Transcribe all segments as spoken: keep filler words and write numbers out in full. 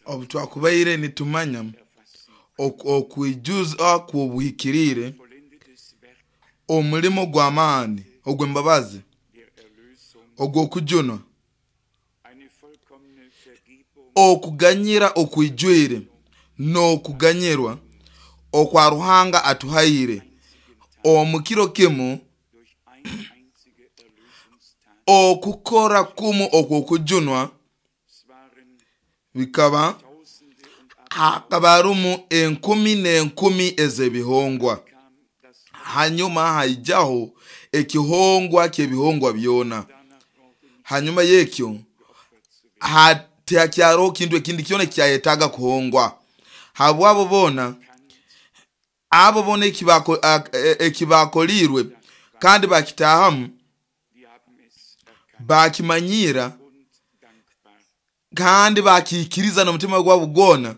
Obu twakubaire nitumanya okwijuza kw'obuhikiriire, omulimo gw'amaani ogw'embabazi ogw'okujunwa, okuganyira okwijwire n'okuganyirwa okwa Ruhanga atuhaire omu kiro kimu, okukora kumu okw'okujunwa bikaba hakaba harumu enkumi n'enkumi ez'ebihongwa. Hanyuma haijaho ekihongwa ky'ebihongwa byona. Hanyuma y'ekyo tihakyaraho kintu ekindi kyona ekyayetaaga kuhongwa. Habwabo boona, abo boona ekibakoliirwe kandi bakitaahamu, bakimanyira kandi bakiikiriza n'omutima gwabo gwona.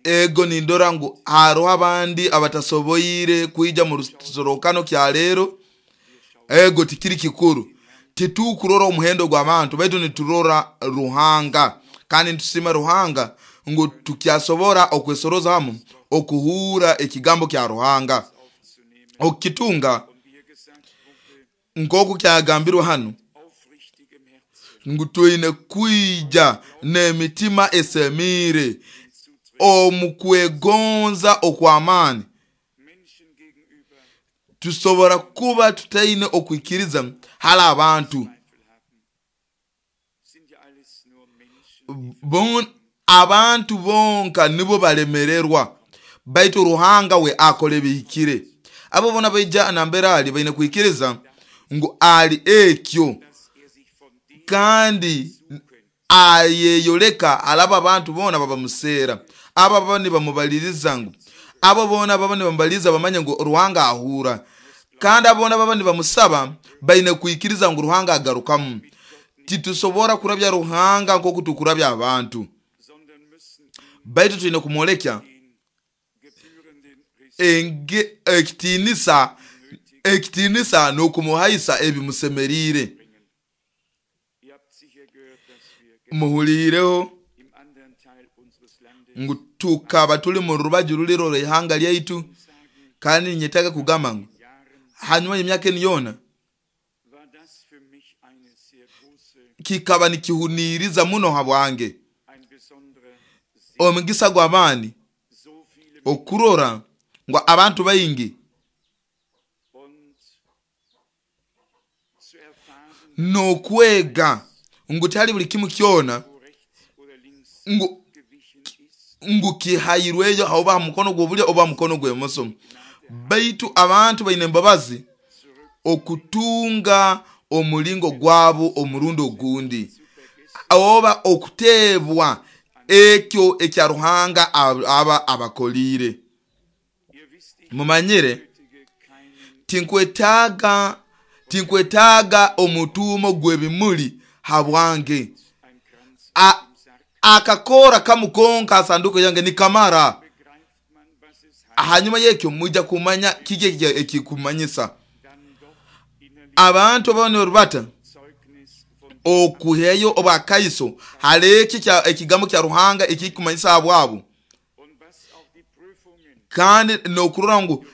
Ego nindora ngu haroho abandi abatasoboire kwija mu rusorrokano kya leero. Ego tikiri kikuru, titukurora omuhendo gw'abantu, baitu niturora Ruhanga, kandi nitusiima Ruhanga ngu tukyasobora okwesoroza hamu okuhuura ekigambo kya Ruhanga, okukitunga nk'oku kyagambirwe hanu ngu twine kwija n'emitima esemiire omu kwegonza okw'amaani. Tusobora kuba tutaine okwikiriza hali abantu, abantu bonka nibo balemererwa, baitu Ruhanga we akora ebihikire. Abo boona baija nambere ali baine kwikiriza ngu ali ekyo, kandi ayeyoleka alaba abantu boona babamuseera, abo baba nibamubaliriza ngu abo boona baba nibamubaliriza bamanye ngu Ruhanga ahura, kandi abo boona baba nibamusaba baine kwikiriza ngu Ruhanga agarukamu. Titusobora kurabya Ruhanga nk'oku tukurabya abantu, baitu twine kumwolekya ekitiinisa ekitiinisa n'okumuhaisa ebimusemeriire. Muhuliireho ngu tukaba tuli mu rubaju ruli rw'ihanga lyaitu, kandi ninyetaaga kugamba ngu hanyuma y'emyaka enu yoona kikaba nikihuniiriza muno habwange, omugisa gw'amaani okurora ngu abantu baingi n'okwega ngu tihali buli kimu kyona ngu ngu kihairweyo oba ha mukono gw'obulyo oba ha mukono gw'emoso, baitu abantu baine embabazi okutunga omulingo gwabo omurundi ogundi, oba okuteebwa ekyo ekya Ruhanga aba abakoliire. Mumanyire tinkwetaaga tinkwetaaga omutuumo gw'ebimuli habwange. Akakora kamu konka sanduko yange nikamara. Hanyuma y'ekyo mwija kumanya kiki ekikumanyisa. Abantu ababa nibarubata okuheyo obwakaiso hali eki ekigambo kya Ruhanga ekikumanyisa habwabo, kandi n'okurora ngu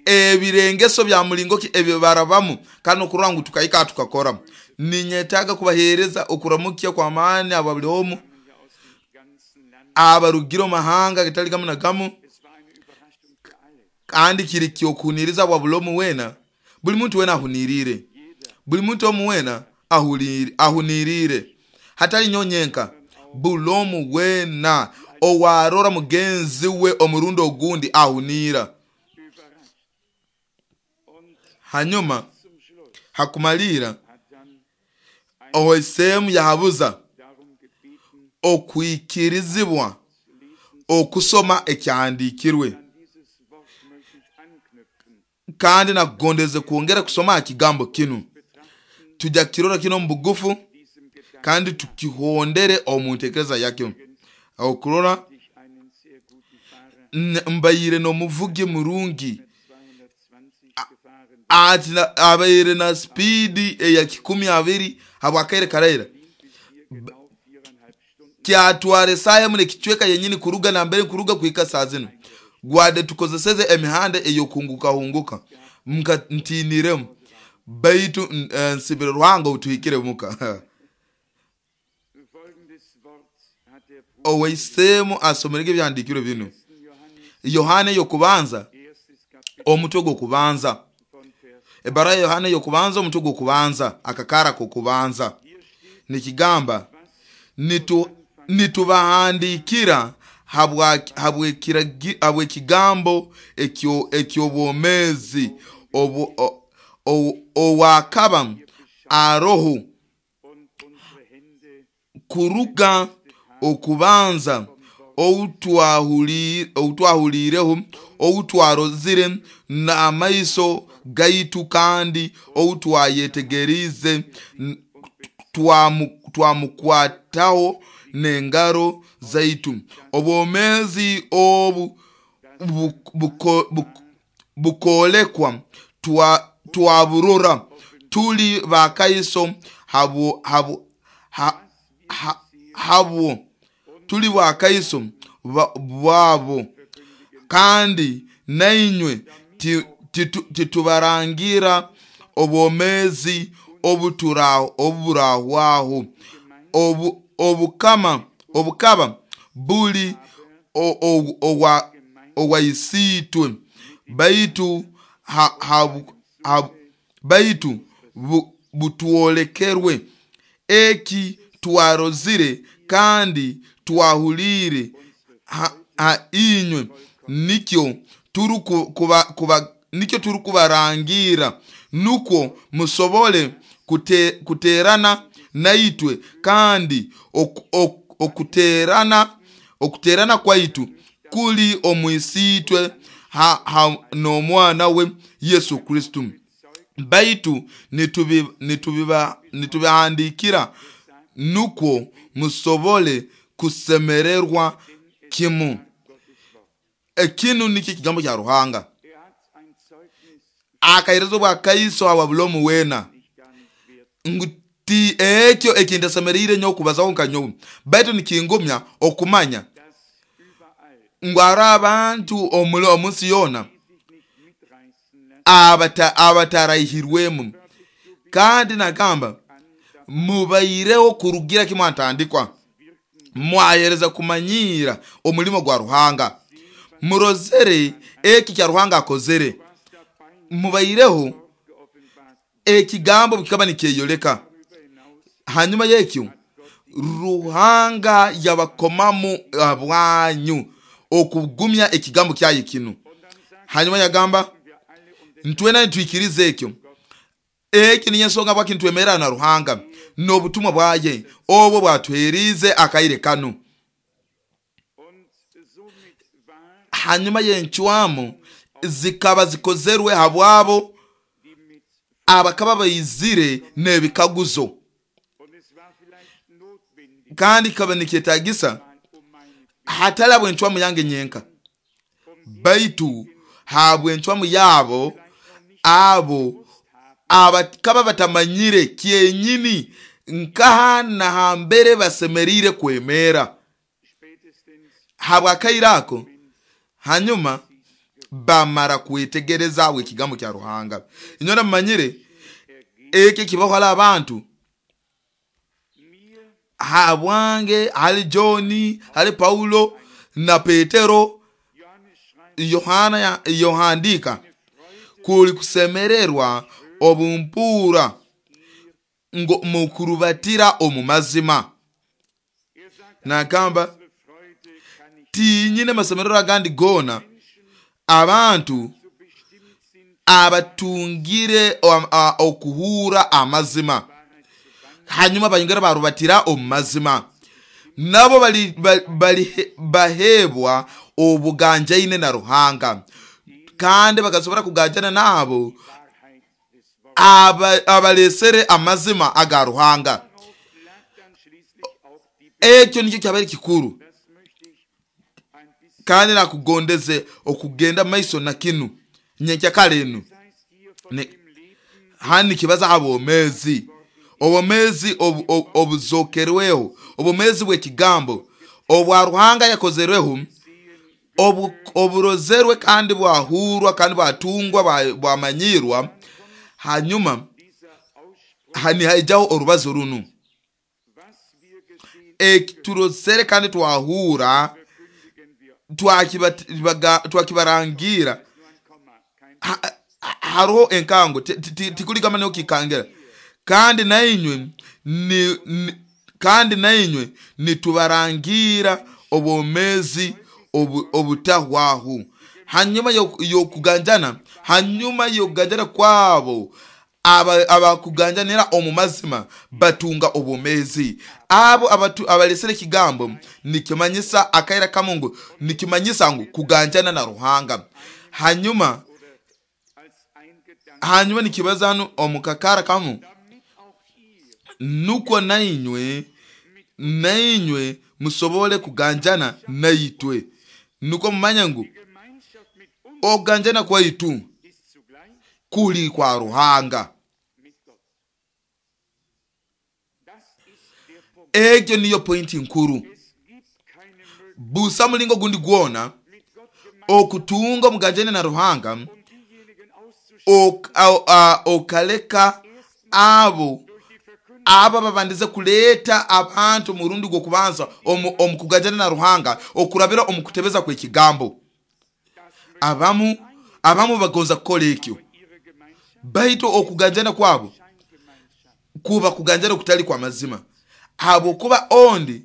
ebirengeso bya mulingo ki ebyo barabamu, kandi n'okurora ngu tukahika tukakora. Ninyetaaga kubaheereza okuramukya kw'amaani aba buli omu abarugire omu mahanga gatali gamu na gamu, kandi kiri ky'okuhuniiriza bwa buli omu weena. Buli muntu weena ahuniiriire, buli muntu omu weena ahuniiriire, hatali nyowe nyenka, buli omu weena owarora mugenzi we omurundi ogundi ahuniira. Hanyuma hakumaliira owaisemu yahabuza okwikirizibwa okusoma ekyahandiikirwe, kandi nakugondeze kwongera kusoma ha kigambo kinu. Tujja kukirora kinu omu bugufu kandi tukihondere omu ntekereza yakyo. Okurora mbaire n'omuvugi murungi, Ati na- abaire na spidi eya kikumi abiri habwakaire karaira Genau viereinhalb Stunden kyatwara esaaha emu nekicweka yenyini kuruga nambere nkuruga kuhika saa zinu gwadde tukozeseze emihanda eyokuhungukahunguka nka ntiiniremu baitu n- eh, nsibire Ruhanga otuhikire muka. Folgendes Wort hat der Bruder Owaisemu asomerege ebyahandiikirwe binu. Johannes, Yohana eyokubanza erstes Kapitel omutwe gw'okubanza, von Vers. ebara ya Yohana eyokubanza omutwe gw'okubanza akakara k'okubanza Hier steht, nikigamba nitu nitubahandikira habwa- habw'ekiragi- habw'ekigambo ekyo eky'obwomeezi obu- o- o- owakaba aroho und unsere Hände kuruga okubanza outwahuli- outwahuliireho outwarozire n'amaiso gaitu kandi outwayetegerize n- twamu- twamukwataho n'engaro zaitu obwomeezi obu bu- buko- buk- bukoolekwa twa- twaburora tuli bakaiso habwo habwo ha, ha, habwo tuli bakaiso ba- bwabo kandi nainywe ti- titu- titubarangira obwomeezi obutura- oburahwaho obu, obukama obukaba buli o- o- owa owaisiitwe baitu ha, ha, ha, baitu bu, butwolekerwe eki twarozire kandi twahuliire ha, ha inywe nikyo turuku kuba, kuba, nikyo turukubarangira nukwo musobole kute, kuterana naitwe kandi ok, ok, okuterana okuterana kwaitu kuli omwisiitwe ha, ha, n'omwana we Yesu Kristo. Baitu nitubi- nitubiba- nitubihandikira nukwo musobole kusemererwa kimu. Ekinu nikyo ekigambo kya Ruhanga. Er hat ein Zeugnis Akaheereza obwakaiso habwa bulomu weena nicht gar nicht wert. ngu ti ekyo ekintasemeriire nyo okubazaho nka nyowe baitu nikingumya okumanya Dass überall ngu hariho abantu omuli omunsi yoona die sich nicht mitreißen lassen, abata abataraihirwemu kandi nagamba mubaireho kurugira kimwe antandikwa mwahereza kumanyiira omulimo gwa Ruhanga murozere eki kya Ruhanga akozere was dabei mubaireho geoffenbart ekigambo kikaba nikyeyoleka darüber hinaus hanyuma y'ekyo Ruhanga yabakomamu abwanyu okugumya ekigambo kyaye kinu. und dann sagt Hanyuma yagamba wir alle um den ntwena nitwikiriza ekyo eki niyo ensonga bwaki nitwemerera na Ruhanga n'obutumwa bwaye obwo bwatuherize akaire kanu. und somit war Hanyuma y'encwamu zikaba zikozerwe habwabo die mit abakaba baizire n'ebikaguzo und es war vielleicht notwendig kandi kikaba nikyetagisa mal um meine hatali habw'encwamu yange nyenka baitu habw'encwamu yabo abo abakaba batamanyire kyenyini nkaha na hambere basemeriire kwemera spätestens habwakaire ako. Hanyuma bamara kwetegereza abo ekigambo kya Ruhanga. Inyona mumanyire ekyo kibaho hali abantu mir habwange hali Johni hali Paulo na Petero. Johannes schreibt Yohana ya- yohandika kuli kusemererwa obumpura ngo mukurubatira omu mazima. er sagt Nagamba unsere Freude kann ich tinyine masemerero agandi gona abantu so bestimmt sind abatungire o- a- okuhura amazima Wahrheit zu wandeln hanyuma bayongera barubatira omu mazima nabo bali, bali, bali, bahebwa obuganjaine na Ruhanga kandi bakasobora kuganjana nabo Wahrheit des Wortes aba- abalesere amazima aga Ruhanga. Darauf lag dann schließlich auch die Ekyo nikyo kyabaire kikuru das möchte ich ein bisschen kandi nakugondeze okugenda maiso na kinu nyenkyakale enu. das heißt hier Ni- hanu nikibaza ha bwomeezi, obwomeezi obu- obu- obuzokerweho, obwomeezi bw'ekigambo obwa Ruhanga yakozerweho, obu- oburozerwe kandi bwahurwa kandi bwatungwa bwa- bwamanyirwa. Hanyuma Dieser Ausspruch, nihaijaho orubazo runu, was wir gesehen, eki turozere kandi twahura verkündigen wir. twakiba- twakibarangira. Nur ein Komma, kein Ha- ha- hariho enkango ti- ti- ti- tikuligamba niho kikangira, kandi nainywe ni, ni, kandi nainywe nitubarangira obwomezi obu- obutahwaho. Hanyuma yo- yokuganjana, hanyuma yokuganjana kwabo aba- abakuganjanira omu mazima batunga obwomezi. Abo abatu- abalesere ekigambo nikimanyisa akaira kamu ngu nikimanyisa ngu kuganjana na Ruhanga. Hanyuma oder als ein Gedanke, hanyuma nikibaza hanu omu kakara kamu, damit auch ihr nukwo nainywe nainywe musobole kuganjana naitwe, nukwo mumanye ngu die Gemeinschaft mit uns okuganjana kwaitu ist zugleich kuli kwa Ruhanga. mit Gott. Das ist der Punkt. Ekyo niyo pointi nkuru. Es gibt keine Möglichkeit, Busa mulingo gundi gwona mit Gott gemeinsam okutunga omuganjane na Ruhanga um diejenigen auszuschließen, ok- au- a- okaleka abo durch die Verkündigung abo babandize kuleeta abantu murundi gw'okubanza omu omu kuganjana na Ruhanga okurabira omu kutebeza kw'ekigambo. Abamu abamu bagonza kukola ekyo, ihre Gemeinschaft, baitu okuganjana kwabo Scheingemeinschaft. kuba kuganjana kutali kwa mazima, habwokuba ondi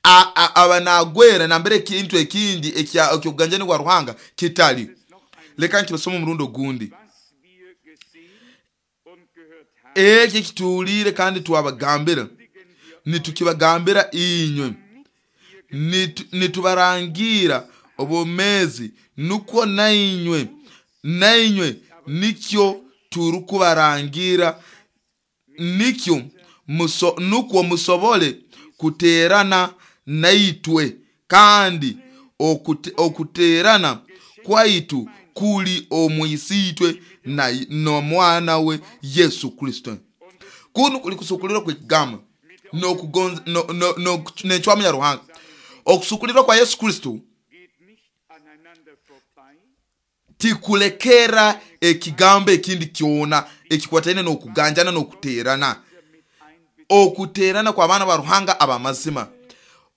a- a- aba nagwera nambere ekintu ekindi ekya- ekyokuganjana kwa Ruhanga kitali. Noch einmal, Leka nkibasoma omurundi ogundi. was wir gesehen und gehört haben, Ekyo ekituwulire kandi twabagambira, kündigen wir nitukibagambira inywe, Nitu- nitubarangira obwomezi, nukwo nainywe nainywe nikyo turukubarangira, nikyo muso, nukwo musobole kuterana naitwe, kandi okute, okuterana kwaitu kuli omwisiitwe na n'omwana we Yesu Kristo. Kunu kuli kusukulirwa kw'ekigambo n'okugonza no- no- no- n'encwamu ya Ruhanga. Okusukulirwa kwa Yesu Kristo geht nicht aneinander vorbei, tikulekera ekigambo ekindi kyona ekikwataine n'okuganjana n'okuterana, mit einbeziehen. okuterana kw'abaana ba Ruhanga ab'amazima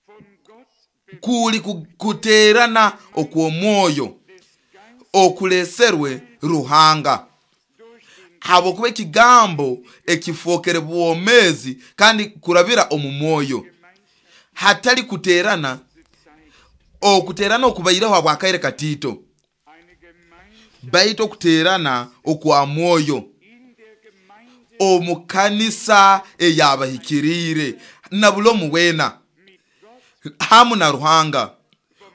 Von Gott kuli ku- kuterana okw'omwoyo des Geistes okuleserwe Ruhanga, durch den habwokuba ekigambo ekifookere bwomezi kandi kurabira omu mwoyo, Gemeinschaft hatali kuterana Zeit okuterana okubaireho habwakaire katiito, eine Gemeinschaft baitu okuterana okwa mwoyo in der Gemeinde omu kanisa eyabahikiriire na buli omu weena mit Gott hamu na Ruhanga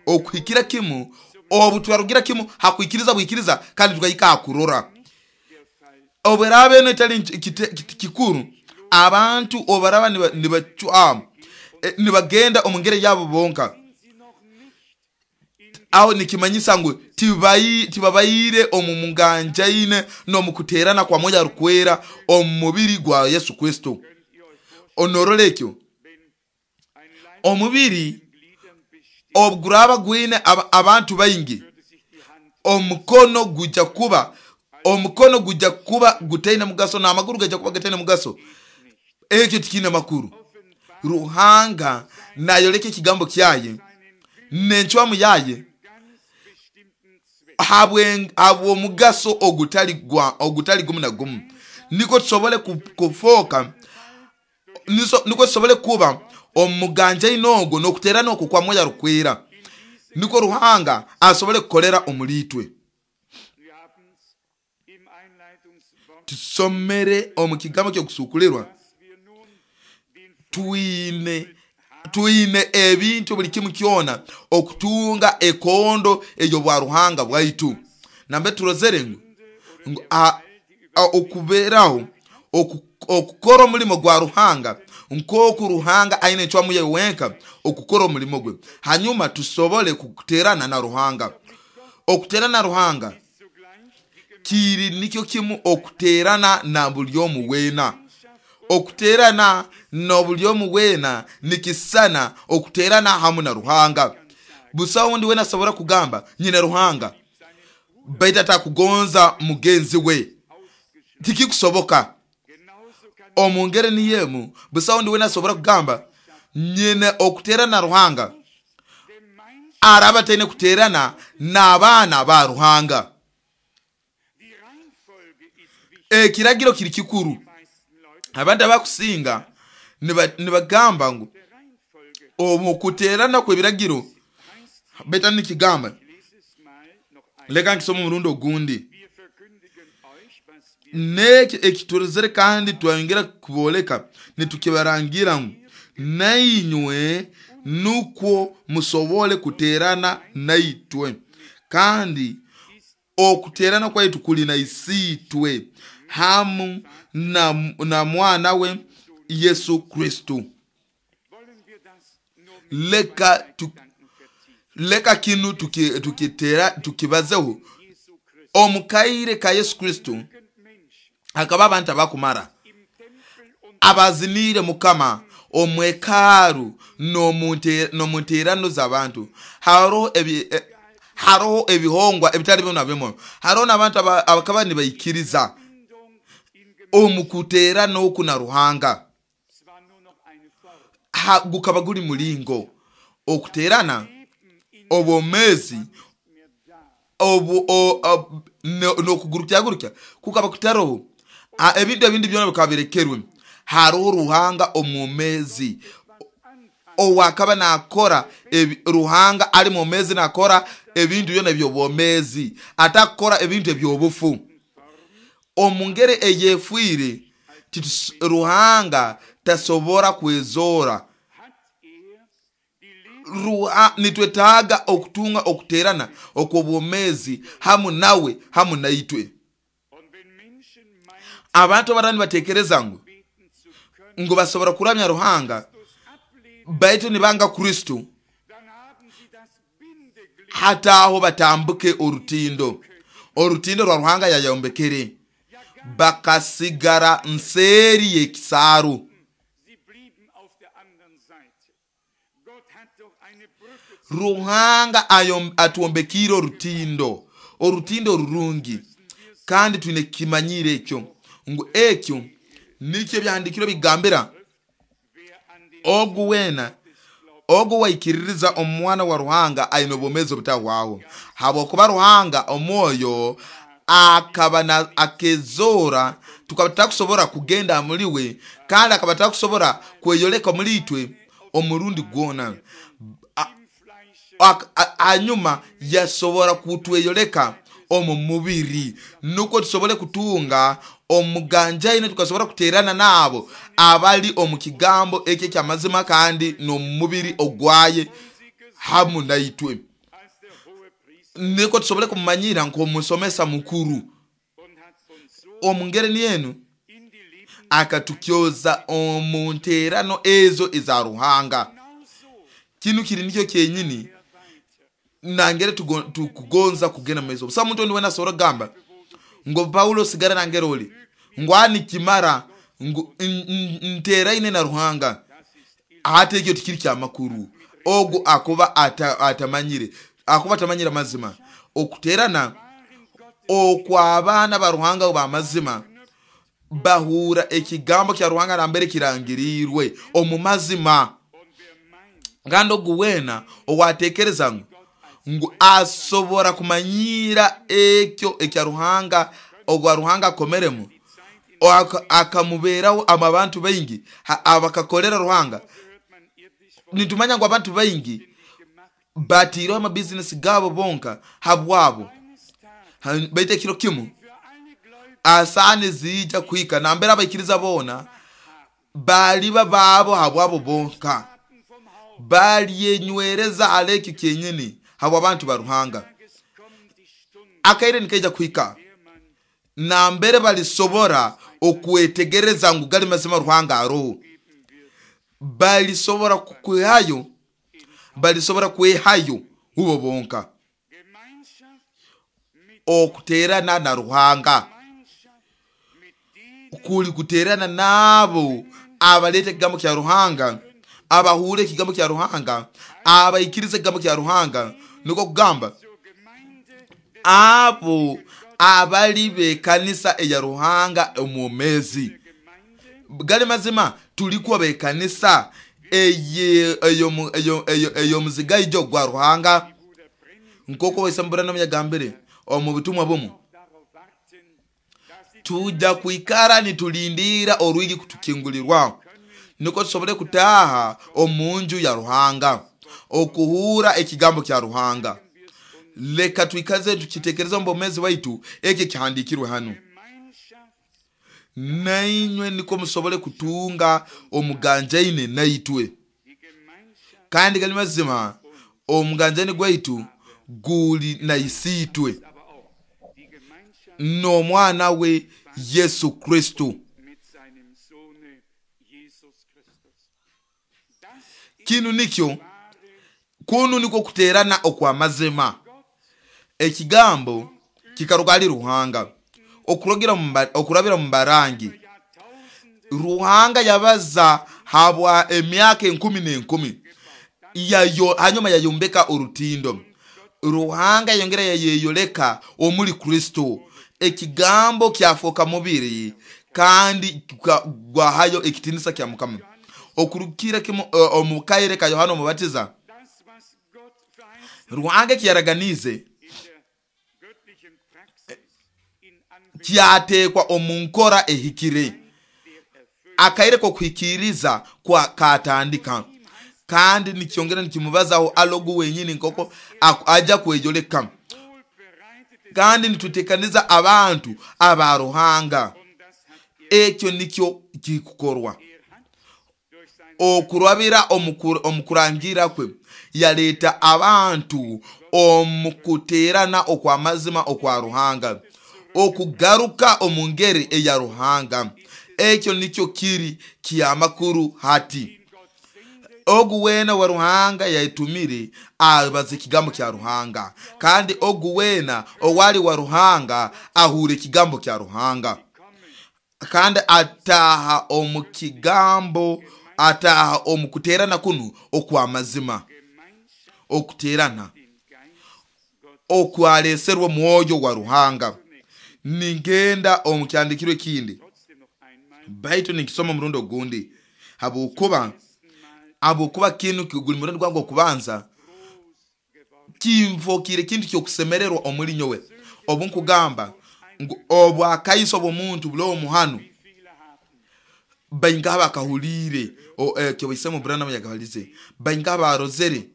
okuhikira kimu obu twarugira kimu hakwikiriza bwikiriza kandi tukahika hakurora. der Fall Obweraba eno etali nki- kite- kit- kikuru, abantu obaraba niba- nibacwamu eh, nibagenda omu ngeri yabo bonka, sind sie noch nicht in aho nikimanyisa ngu tibai- tibabaire omu muganjaine n'omu kuterana kwa mwoyo arukwera omu mubiri gwa Yesu Kristo. Könnt ihr euch vorstellen, Onorora ekyo, wenn ein Leib omubiri von Gliedern besteht, obuguraba gwine aba- abantu baingi, würde sich die Hand omukono gujja kuba omukono gujja kuba gutaine mugaso n'amaguru gajja kuba gataine mugaso. Ekyo tikiine makuru. offenbar Ruhanga nayoleka ekigambo kyaye seinen Willen n'encwamu yaye ganz bestimmten Zweck. habwe- habw'omugaso ogutali gwa ogutali gumu na gumu, niko tusobole ku- kufooka niso- niko tusobole kuba omuganjaine ogwo n'okuterana okwo kwa mwoyo arukwera, niko Ruhanga asobole kukolera omuli itwe. Wir haben's im Einleitungswort, Tusomere omu kigambo ky'okusukulirwa, dass wir nun den twine twine ebintu buli kimu kyona okutunga ekondo ey'obwa Ruhanga bwaitu. Nambe turozere ngu ngu a- a- okubeeraho oku- okukora omulimo gwa Ruhanga nk'oku Ruhanga aine encwamu ye wenka okukora omulimo gwe, hanyuma tusobole kuterana na Ruhanga. Okuterana na Ruhanga zugleich die Kiri nikyo kimu okuterana na buli omu weena. Okuterana na buli omu weena nikisana okuterana hamu na Ruhanga. Busaho ondi weena asobora kugamba nyina Ruhanga baitu atakugonza mugenzi we, tikikusoboka. Omu ngeri niyo emu, busaho ondi weena asobora kugamba nyine okuterana na Ruhanga araba ataine kuterana n'abaana ba Ruhanga. Die Reihenfolge ist wichtig. Ekiragiro kiri kikuru. Die meisten Leute Abantu abakusinga niba- nibagamba ngu der Reihenfolge omu kuterana kw'ebiragiro heißt, baitu nikigamba, ich lese es mal noch einmal. leka nkisome omurundi ogundi. Wir verkündigen euch, was wir N'ekyo ekiturozere kandi twayongera kubooleka nitukibarangira ngu nainywe nukwo musobole kuterana naitwe, kandi okuterana kwaitu kuli na Isiitwe hamu na, na mwana we Yesu Kristo. wollen wir das nur mit Leka zwei tu, Gedanken vertiefen. leka kinu tuki- tukitera tukibazeho. Jesu Christus Omu kaire ka Yesu Kristo genügend Menschen hakaba abantu abakumara im Tempel und abaziniire Mukama omwekaaru n'omu nteerano z'abantu. Haroho ebi, eh, haroho ebihongwa ebitali bimu na bimu, haroho n'abantu aba- abakaba nibaikiriza Bindung in omu kuteerana oku na Ruhanga. zwar nur noch eine Form. Ha, gukaba guli mulingo okuteerana Leben in obwomeezi nicht mehr da. obu o- o- no- n'okugurukyagurukya kukaba kutaroho. Ah, ebintu ebindi byona bikaba birekerwe. Haroho Ruhanga omwomezi owakaba nakora ebi, Ruhanga ali mwomezi nakora ebintu byona ebyobwomezi, atakukora ebintu ebyobufu. Omu ngeri eyefiire titus- Ruhanga tasobora kwezora. Hat er die Leben Ruha, nitwetaaga okutunga okuterana okw'obwomezi hamu nawe hamu naitwe. und wenn Menschen meinen, Abantu abaraba nibatekereza ngu beten zu können, ngu basobora kuramya Ruhanga Christus ablehnen, baitu nibanga Kristo, dann haben sie das Bindeglied hataho batambuke orutindo orutindo rwa Ruhanga yayombekere, bakasigara nseeri y'ekisaaru. Sie blieben auf der anderen Seite. Gott hat doch eine Brücke zu Ruhanga ayom- atwombekiire orutindo orutindo rurungi, kandi twine kimanyire ekyo ngu ekyo nikyo ebyahandikirwe bigambira wer an den ogu weena ogu waikiririza omwana wa Ruhanga aine obwomeezi obutahwaho, habwokuba Ruhanga omwoyo akaba na akezora tukaba tutakusobora kugenda muli we, kandi akaba takusobora kweyoleka muli itwe omurundi gwona. A- im Fleische ak- a- hanyuma yasobora kutweyoleka omu mubiri nukwo tusobole kutunga omuganjaine, tukasobora kuterana naabo abali omu kigambo ekyo ekyamazima kandi n'omu mubiri ogwaye hamu naitwe, als der hohe Priester niko tusobole kumumanyira nk'omusomesa mukuru. und hat uns so Omu ngeri nienu in die Leben akatukyoza omu nteerano ezo eza Ruhanga. genauso Kinu kiri nikyo kyenyini weiter. nangere tugo- tukugonza kugenda mumaiso. Busa muntu ondi wena asobora kugamba ngo Paulo sigara nangere oli ngu anikimara ngu n- n- nteraine na Ruhanga, ate ekyo tikiri kyamakuru. Ogu akuba ata, atamanyire akuba atamanyire amazima. Okuterana okw'abaana ba Ruhanga b'amazima bahura ekigambo kya Ruhanga nambere kirangirirwe omu mazima. Und wer meint, Kandi ogu weena owatekereza ngu ngu asobora kumanyira ekyo ekya Ruhanga ogwa Ruhanga akomeremu aka- akamuberaho ama abantu baingi ha- abakakolera Ruhanga. hört man irdisch von Nitumanya ngu abantu baingi nicht gemacht. batiireho amabizinesi gaabo bonka habwabo. Eines Tages Ha- baitu ekiro kimu für alle Gläubigen asaani ziija kuhika nambere abaikiriza boona baliba baabo habwabo bonka, vom Haus balyenywereza hali ekyo kyenyini habw'abantu ba Ruhanga. Tages kommt die Stunde, Akaire nikaija kuhika der man nambere balisobora okwetegereza ngu gali mazima Ruhanga aroho, geben wird. balisobora kwehayo balisobora kwehayo hubo bonka. Gemeinschaft mit Okuterana na Ruhanga kuli kuterana nabo abaleta ekigambo kya Ruhanga, abahure ekigambo kya Ruhanga, abaikiriza ekigambo kya Ruhanga, niko kugamba abo abali bekanisa eya Ruhanga omwomezi. Gali mazima tulikuwa bekanisa ey'omuzigaijo gwa Ruhanga, nkoko Branham yagambire omu butumwa bumu, tuja kuikara nitulindira orwigi kutukingulirwa niko tusobole kutaha omunju ya Ruhanga okuhura ekigambo kya Ruhanga. Leka twikaze tukitekereza omu bwomezi bwaitu eki kihandikirwe hano, nainywe niko musobole kutunga omuganjaine naitwe. Kandi gali mazima omuganjaine gwaitu guli na isitwe n'omwana we Yesu Kristo. Kinu nikyo kunu niko kuterana okwa mazima. Ekigambo kikaruga ali Ruhanga okurogira okurabira mu barangi. Ruhanga yabaza habwa emyaka enkumi n'enkumi, yayo hanyuma yayombeka orutindo. Ruhanga yongera yayeyoleka omuli Kristo. Ekigambo kyafoka mubiri kandi gwahayo ekitinisa kya Mukama. Okurukira kimu omukaire ka Yohana Omubatiza, Ruhanga kyaraganize kyatekwa omunkora ehikire, akaire ko kuhikiriza kwa katandika. Kandi nikyongera nikimubazaho alogu wenyini nkoko aja kwejoleka. Kandi nitutekaniza abantu aba Ruhanga. Ekyo nikyo kikukorwa okurabira omukurangira kwe yaleta abantu omukuterana okwa mazima okwa Ruhanga, okugaruka omungeri eya Ruhanga. Ekyo nikyo kiri kyamakuru hati. Ogu wena wa Ruhanga yaitumire abaze ekigambo kya Ruhanga, kandi ogu wena owali wa Ruhanga ahure ekigambo kya Ruhanga, kandi ataha omu kigambo, ataha omu kuterana kunu okwa mazima, okuterana okwaleserwa mwoyo wa Ruhanga. Ningenda omu kyandikirwe kindi, baitu nikisoma murundo ogundi, habwokuba habwokuba kinu guli murundi gwange okubanza kinfokire kintu kyokusemererwa omuli nyowe. Obu nkugamba ngu obwakaiso bw'omuntu bulowo muhanu bainga bakahulire kyobaisemu Branham yagabalize, bainga barozere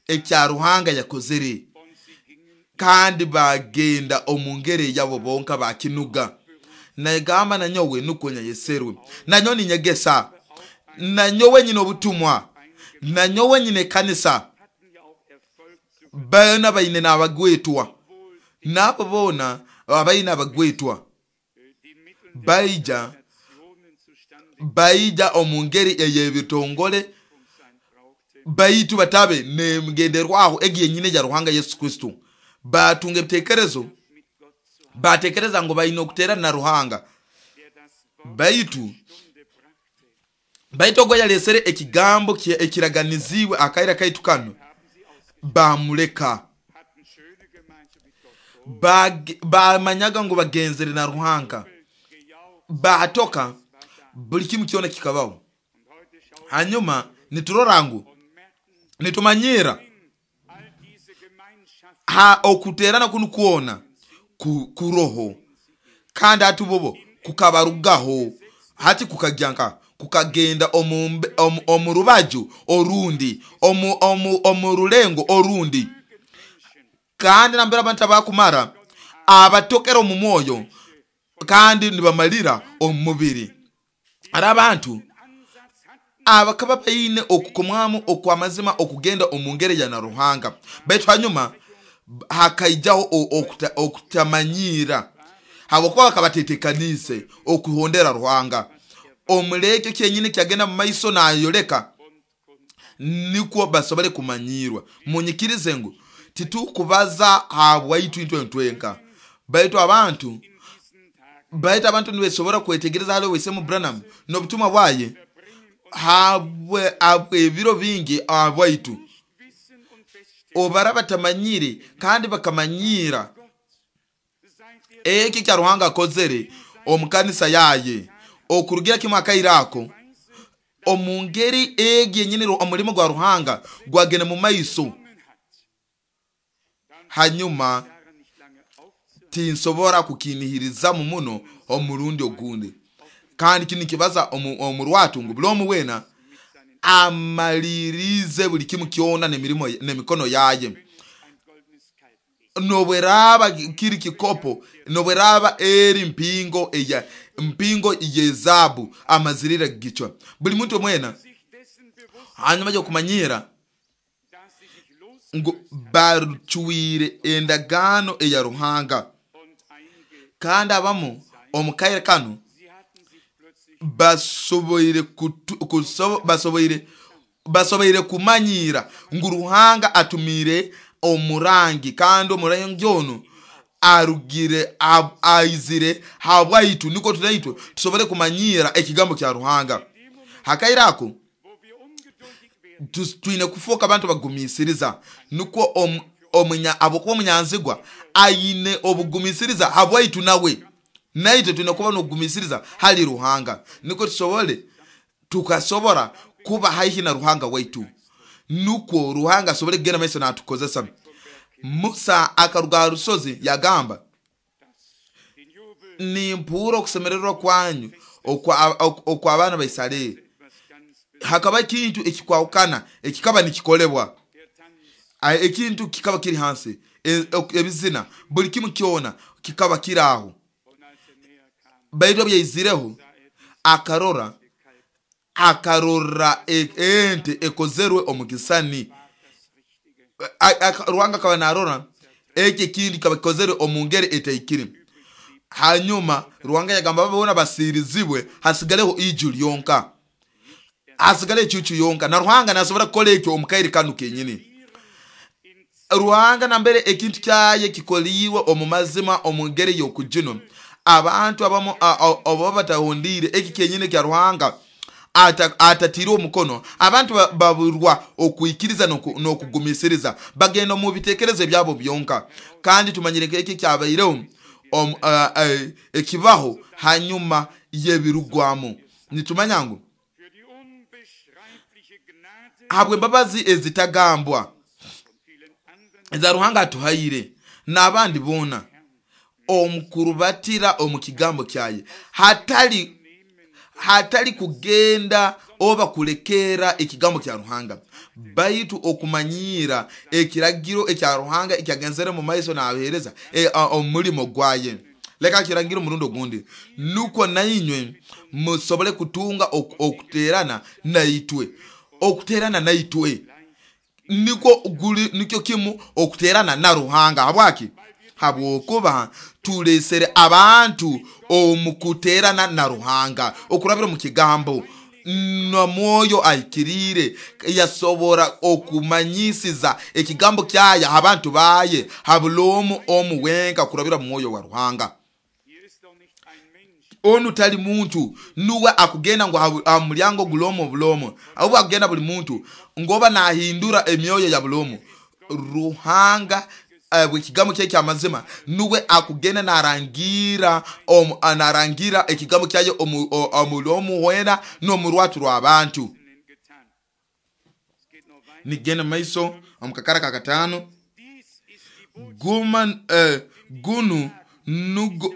ekya Ruhanga yakozere, kandi bagenda omungere yabo bonka bakinuga. Nagamba nanyowe nuko nyayeserwe, nanyowe ninyegesa, nanyowe nyine obutumwa, nanyowe nyine kanisa, bana baine n'abagwetwa, nabo bona abaine abagwetwa baija baija omungeri ey'ebitongole, baitu batabe nemgenderwaho egi yenyine ya Ruhanga Yesu Kristo. Batunga ebitekerezo, batekereza ngo baine okuterana na Ruhanga, baitu baitu ogwo yalesere ekigambo ekiraganiziwe akaira kaitu kano bamuleka. Bamanyaga ngo bagenzere na Ruhanga, batoka buli kimu kyona kikabaho. Hanyuma niturora ngu nitumanyira ha okuterana kunu kuona ku, kuroho, kandi atubobo kukabarugaho hati kukagyanka kukagenda omu omu rubaju orundi, omu omu omurulengo orundi. Kandi nambera abantu abakumara abatokera omu mwoyo kandi nibamalira omu mubiri. Ari abantu abakaba baine okukomwamu okwamazima okugenda omungere ya na Ruhanga, baitu hanyuma hakaijaho okutamanyira habwokuba bakabatetekanise okuhondera Ruhanga. Omulekyo kyenyine kyagenda mu maiso nayoleka nikwo basobole kumanyirwa. Munyikirize ngu titukubaza habwaitu intwe ntwenka, Baitu abantu in diesen Tagen baitu abantu nibesobora kwetegereza hali Owesemu Branham n'obutumwa bwaye verbringen und habwe habwe ebiro bingi abwaitu nicht wissen und feststellen, obara batamanyire kandi bakamanyira Gott, seit er eki kya Ruhanga akozere omu kanisa yaye okurugira kimwe akaire ako Weise omu ngeri egi yenyini ru- omulimo gwa Ruhanga gwagenda mu maiso. genommen hat, dann Hanyuma daran nicht lange aufzuhalten, tinsobora kukinihirizamu muno omurundi ogundi, kandi kinu nikibaza omu omu rwatu ngu buli omu wena mit seinen amalirize buli kimu kyona n'emirimo n'emikono yaye, wenn es ein goldenes Kalb ist. nobweraba kiri kikopo, nobweraba eri mpingo eya mpingo y'ezaabu amazirire gichwa buli muntu mwena. Sich dessen bewusst, Hanyuma y'okumanyira dass sie sich ngu losgelöst barucwire endagaano eya Ruhanga, und einge kandi abamu omu kaire kanu sie hatten sich plötzlich basoboire kutu, kuso, basoboire basoboire kumanyira ngu Ruhanga atumire omurangi, kandi omurangi ono arugire ab- aizire habwaitu niko tunaitwe tusobole kumanyira ekigambo kya Ruhanga. Hakaire ako wo wir ungeduldig werden, tu- twine kufuuka abantu bagumisiriza, nukwo omu- omunya abokuba omunyanzigwa aine obugumisiriza habwaitu nawe naitwe twine kuba n'obugumisiriza hali Ruhanga, nukwo tusobole tukasobora kuba haihi na Ruhanga waitu, nukwo Ruhanga asobole kugenda maiso natukozesa. Musa akaruga aha rusozi yagamba, dass den Jubel nimpuura okusemererwa kwanyu okwa okwa abaana ba Isiraeli. etwas ganz Hakaba ekintu ekikwahukana ekikaba nikikolebwa, der Tanz A- ekintu kikaba kiri hansi, E- ok- ebizina buli kimu kyona kikaba kiri aho. und als er näher kam, Baitu obyaizireho sah er dies akarora Kalb akarora e- ente ekozerwe omu kisani. war das Richtige. A- aka- Ruhanga akaba narora eki ekindi kikaba kikozerwe omu ngeri etaikire. Hanyuma Ruhanga yagamba babona basirizibwe hasigaleho iju lyonka, hasigale ekyucu yonka, na Ruhanga nasobora kukora ekyo omu kaire kanu kenyini. In Ruhanga nambere ekintu kyaye kikoliwe omu mazima omu ngeri y'okujino, abantu abamu a- a- oba batahondire eki kenyini kya Ruhanga ata- atatire omukono, abantu ba- baburwa okwikiriza n'oku- n'okugumisiriza, bagenda omu bitekerezo byabo byonka. Kandi tumanyire eki kyabaireho omu- a- a- ekibaho hanyuma y'ebirugwamu, nitumanya ngu für die unbeschreibliche Gnade habw'embabazi ezitagambwa und vielen anderen eza Ruhanga atuhaire n'abandi boona omukurubatira omu kigambo kyaye, hatali nehmen, hatali kugenda oba kulekera ekigambo kya Ruhanga, baitu okumanyira ekiragiro ekya Ruhanga ekyagenzere mu maiso nabahereza e, a- omulimo gwaye. Leka kiragiro omurundi ogundi, nukwo nainywe musobole kutunga ok- okuterana naitwe, okuterana naitwe nikwo guli nikyo kimu okuterana na Ruhanga. Habwaki? Habwokuba tulesere abantu omu kuterana na Ruhanga okurabira mu kigambo na mwoyo ahikiriire yasobora okumanyisiza ekigambo kyaye abantu baye habuloomu omu wenka kurabira mu mwoyo wa Ruhanga. hier ist doch nicht ein Mensch, Onu tali muntu nuwe akugenda ngu ha- ha mulyango gulomo bulomo, ahubwo akugenda buli muntu ngoba nahindura emyoyo ya bulomo. Ruhanga eh, bwe kigambo kye kyamazima nuwe akugenda narangira omu- narangira ekigambo kyaye omu- o- omulomu wena n'omurwatu rw'abantu. getan. Es geht noch weiter. Nigenda maiso omukakara ka kataano, Dies ist die Botschaft guma eh, gunu nugo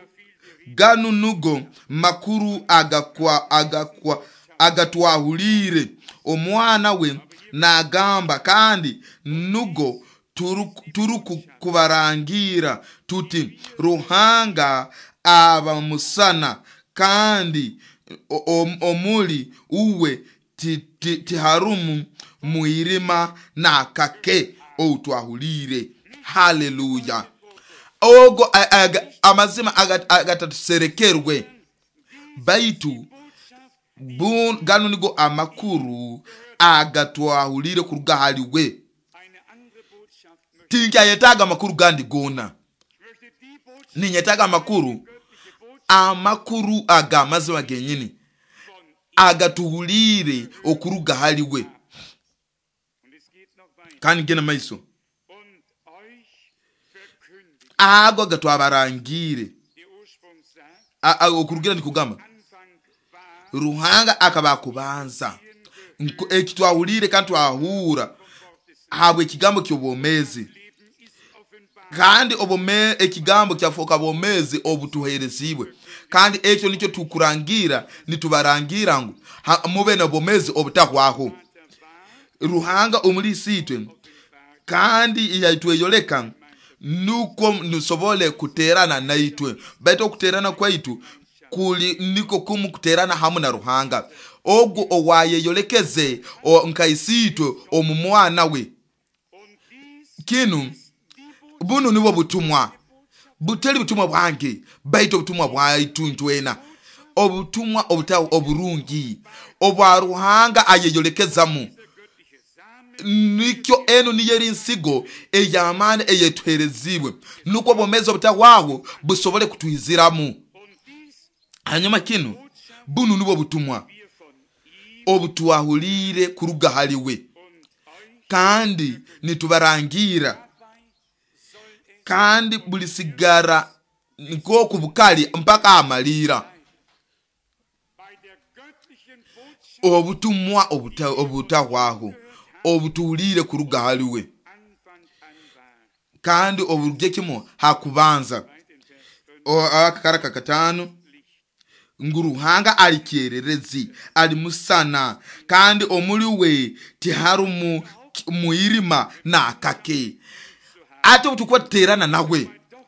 ganu nugo makuru agakwa agakwa agatwahulire omwana we nagamba, kandi nugo turukubarangira tuti Ruhanga aba musana kandi o- o- omuli uwe ti- ti- tiharumu mwirima nakake outwahulire. Haleluya. Ogo a- aga- amazima aga- agatatuserekerwe, baitu bu- gano nigo amakuru agatwahulire kuruga haliwe. Eine andere Botschaft möchte Tinkyayetaaga amakuru gandi gona. ich. Möchte die Botschaft Ninyetaga amakuru, amakuru ag'amazima genyini agatuhuliire okuruga hali we. Und es geht noch weiter. Kandi genda maiso. Und euch verkündigt. Ago agatwabarangiire. Der Ursprung sagt, A- a- okurugira nikugamba Anfang war Ruhanga akaba akubanza. Nko- Eki twahuliire kandi twahura habwe ekigambo ky'obwomeezi. Leben ist offenbar. Kandi obome ekigambo kyafuuka bwomezi obutuheerezibwe, kandi ekyo nikyo tukurangira, nitubarangira ngu ha- mube n'obwomezi obutahwaho. Vater war Ruhanga omulisi itwe kandi yaitweyoleka nukwo nusobole kuterana naitwe, baitu okuterana kwaitu kuli niko kumu kuterana hamu na Ruhanga ogwo owayeyolekeze o- nka isiitwe omu mwana we. und dies Kinu die Botschaft bunu nibwo butumwa, butali butumwa bwange baitu obutumwa bwaitu ntwena, obutumwa obuta oburungi obwa Ruhanga ayeyolekezamu. göttliche Samen Nikyo enu niyo eri nsigo ey'amaani eyetuherezibwe nukwo obwomezi obutahwaho busobole kutuhiziramu. und dies Hanyuma kinu bunu nibwo butumwa wir von ihm obutwahuliire kuruga hali we, und euch kandi nitubarangira, dabei soll es kandi bulisigara nk'oku bukali mpaka amaliira. bei der göttlichen Botschaft Obutumwa obuta- obutahwaho obutuhuliire kuruga hali we, Anfang an war. kandi oburugye kimu hakubanza. Weit in Vers fünf O- akakaraka katano ngu Ruhanga ali kyererezi, ali musana, kandi omuli we tiharumu ki- muirima nakake. Ate obutukuba tuterana nawe doch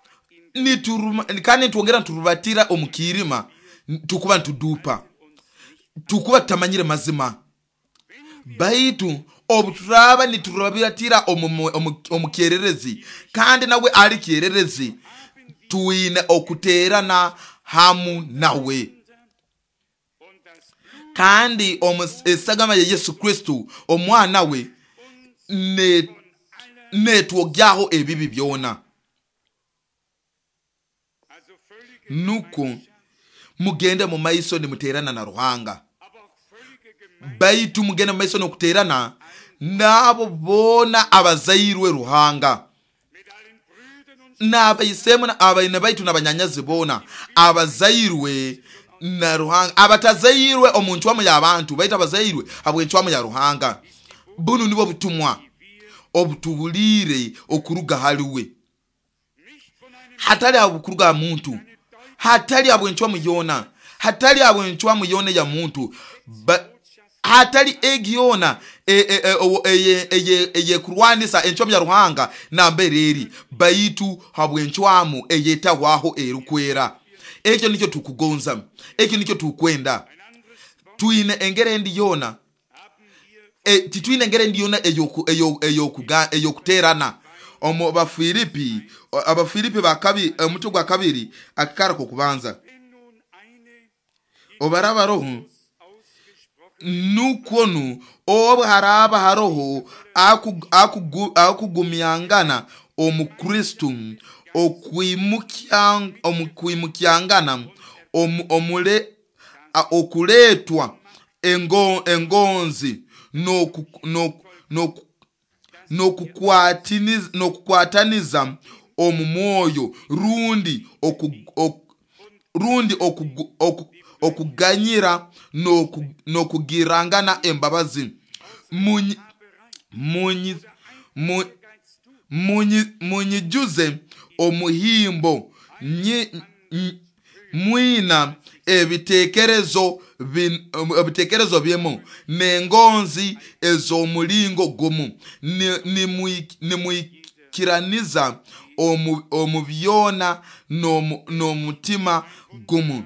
in nituruma, kandi nitwongera niturubatira omu kiirima, tukuba nitudupa, tukuba tutamanyire mazima. Baitu obuturaba niturubatira omu- omu omu kyererezi, kandi nawe ali kyererezi, twine okuterana hamu nawe. und das Blut Kandi omu- esagama ya Yesu Kristo omwana we ne- von aller, netwogyaho ebibi byona. also völlige Nuko Gemeinschaft, mugende mu maiso nimuterana na Ruhanga, aber auch völlige Gemeinschaft baitu mugende mu maiso n'okuterana n'abo boona abazairwe Ruhanga, mit allen Brüdern und n'abaisemu na- abaine baitu n'abanyanyazi boona abazairwe na Ruhanga, abatazairwe omu ncwamu y'abantu, baitu abazairwe habw'encwamu ya Ruhanga. Bunu nibwo butumwa obutuhuliire okuruga hali we, nicht von einem hatali habw'okuruga ha muntu, hatali habw'encwamu yoona, hatali habw'encwamu yoona ya muntu, Ba- hatali egi yoona e- e- e- owo- eye- eye- eyekurwanisa encwamu ya Ruhanga nambere eri, baitu habw'encwamu eyetahwaho erukwera. Ekyo nikyo tukugonza, ekyo nikyo tukwenda. ein anderes Wort Twine engeri endi yoona, haben wir e, titwine engeri endi yoona eyoku- eyo- eyokuga- eyokuterana. Omu Bafilipi, Abafilipi bakabi omutwe gwa kabiri akakara kokubanza, wenn nun eine obaraba roho ausgesprochen nukwo nu obu haraba haroho aku- akugu- akugumyangana omu Kristo, okwimukya- omukwimukyangana omu- omule a- okuleetwa engo- engonzi n'oku- n'oku- n'oku- n'okukwatiniza n'okukwataniza omu mwoyo, rundi oku, oku, rundi okugu- oku- okuganyira n'oku- n'okugirangana embabazi. Munyi- munyi- mu- munyi- munyijuze omuhimbo nyi- n- mwina ebitekerezo bin- ebitekerezo bimu n'engonzi ez'omulingo gumu, Ni- nimui- nimwikiraniza omu omu byona n'omu- n'omutima gumu.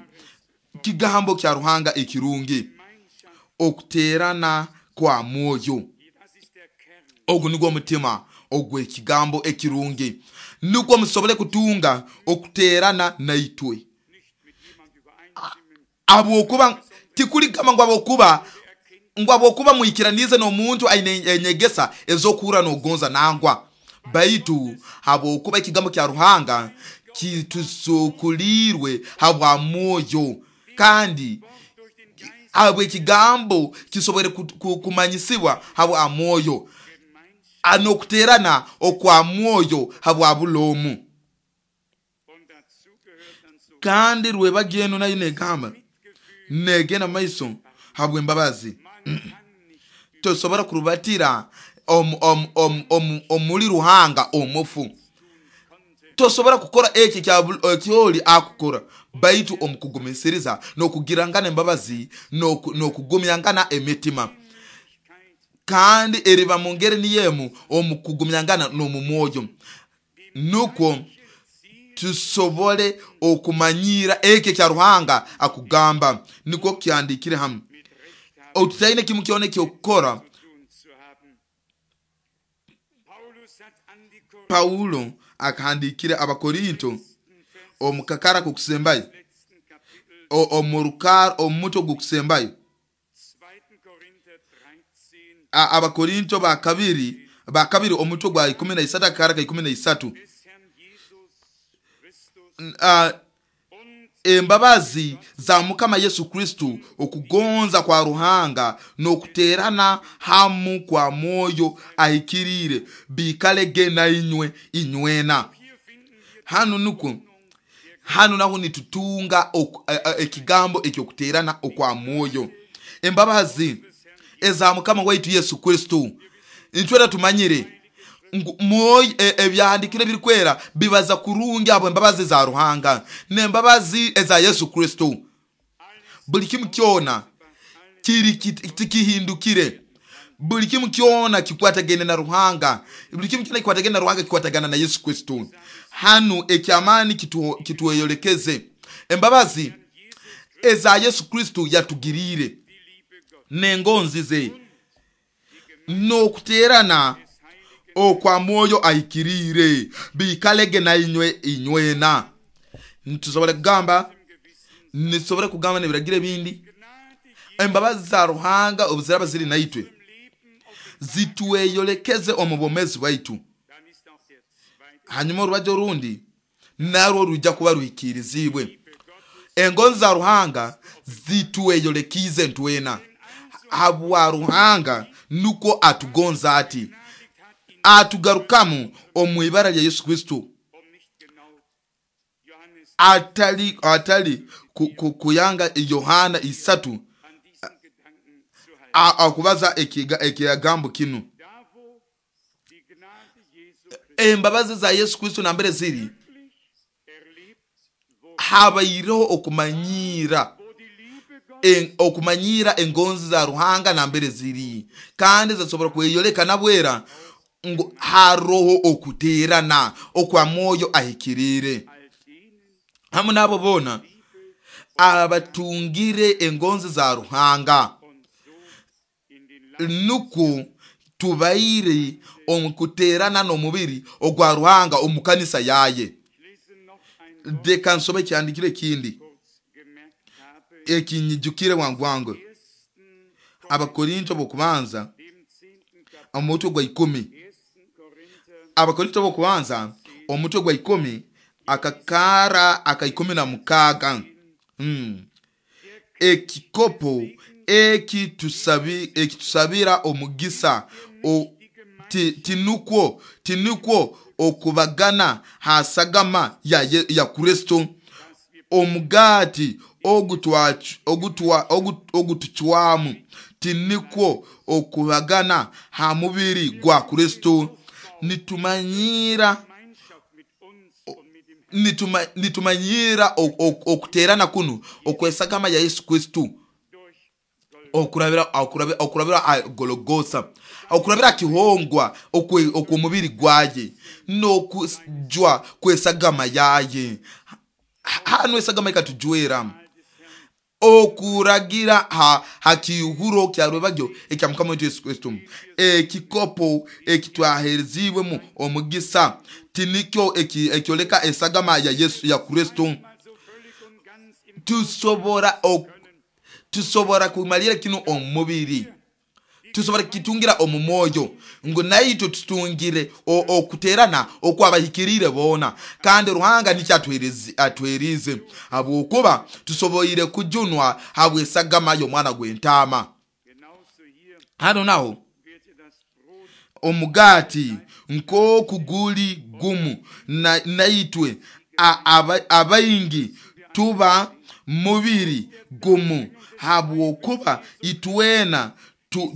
Kigambo kya Ruhanga ekirungi, Gemeinschaft, okuterana kwa mwoyo. das ist der Kern Ogwo nigwo omutima ogw'ekigambo ekirungi, nukwo musobole kutunga okuterana naitwe. nicht mit jemand übereinstimmen, Habwokuba tikuligamba ngu habwokuba ngu habwokuba mwikiranize n'omuntu aine enyegesa ez'okuhurra n'ogonza nangwa, baitu habwokuba ekigambo kya Ruhanga Kitusukulirwe habwa mwoyo, kandi habw'ekigambo kisobore kumanyisibwa habwa mwoyo, anokuterana okwa mwoyo habwa bulomu. Kandi rwebageno nayo negamba negena maiso habw'embabazi. Tosobora kurubatira omuli Ruhanga omufu. Tosobora kukora eki kyoli akukora, baitu omukugumisiriza n'okugirangana embabazi n'okugumyangana emitima, kandi eriba mu ngeri niyemu omukugumyangana n'omu mwoyo, nukwo tusobole okumanyira eki kya Ruhanga akugamba. Nukwo kyandikire hamu otutaine kimu kyona ekyokukora. Paulo akahandikire Abakorinto omukakara kokusembayo, omurukara omutwe gukusembayo, Abakorinto bakabiri bakabiri omutwe gwa ikumi na isatu akakara ka ikumi na isatu. Embabazi za Mukama Yesu Kristo, okugonza kwa Ruhanga n'okuterana hamu kwa mwoyo ahikirire bikalege na inywe inywena. Hanu nukwo hanu naho nitutunga ekigambo ekyokuterana okwa mwoyo. Embabazi eza Mukama waitu Yesu Kristo, nitwera tumanyire mwoyo ebyahandikire birikwera bibaza kurungi abo embabazi za Ruhanga n'embabazi eza Yesu Kristo. Buli kimu kyona kiri tikihindukire, buli kimu kyona kikwatagene na Ruhanga, buli kimu kyona kikwatagene na Ruhanga kikwatagana na Yesu Kristo. Hanu ekyamani kitweyolekeze embabazi eza Yesu Kristo yatugirire n'engonzi ze n'okuterana okwa mwoyo ahikirire bikalege na inywe inywena. Nitusobora kugamba nitusobora kugamba n'ebiragiro ebindi. Embabazi za Ruhanga obuziraba ziri naitwe zitweyolekeze omu bwomezi bwaitu, hanyuma orubajyo orundi narwo rujja kuba ruhikirizibwe. Engonzi za Ruhanga zitweyolekize ntwena habwa Ruhanga nukwo atugonza ati atugarukamu omu ibara lya Yesu Kristo, atali atali kuyanga Yohana isatu akubaza ekigambo kinu. Embabazi za Yesu Kristo nambere ziri habaireho okumanyira en, okumanyira engonzi za Ruhanga nambere ziri, kandi zasobora kweyoleka nabwera ngo haroho okuterana okwa mwoyo ahikirire hamu nabo bona abatungire engonzi za Ruhanga. Nuku tubaire omukuterana n'omubiri ogwa Ruhanga omukanisa yaye. Reka nsome ekyandikire ekindi ekinyijukire wangu wangu, Abakorinto bokubanza omutwe gwa ikumi. Abakorinto bokubanza omutwe gwa ikumi akakara aka ikumi na mukaga. Mm. Ekikopo ekitusabi ekitusabira omugisa o, ti, tinukwo tinukwo okubagana hasagama ya, ya Kristo, omugati ogutwa ogutuchwamu tinikwo okubagana ha mubiri gwa Kristo. Nitumanyira nituma, nitumanyira okuterana kuno okwesagama ya Yesu Kristo, okurabira okurabira okurabira Golgotha, okurabira kihongwa okw'omubiri gwaye n'okujwa kwesagama yaye. Hano esagama ikatujwera okuragira ha hakihuro kya rwebagyo ekya Mukama wetu Yesu Kristo. Ekikopo ekitwaherezibwemu omugisa tinikyo ekyoleka esagama ya Yesu ya Kristo. Tusobora tusobora kumalira kino omubiri, Tusobora kukitungira omu mwoyo ngu naitwe tutungire okuterana okwabahikiriire boona, kandi Ruhanga nikyo atwerize, habwokuba tusoboire kujunwa habw'esagama y'omwana gw'entaama. Hano naho omugaati nk'oku guli gumu naitwe abaingi tuba mubiri gumu, habwokuba itwena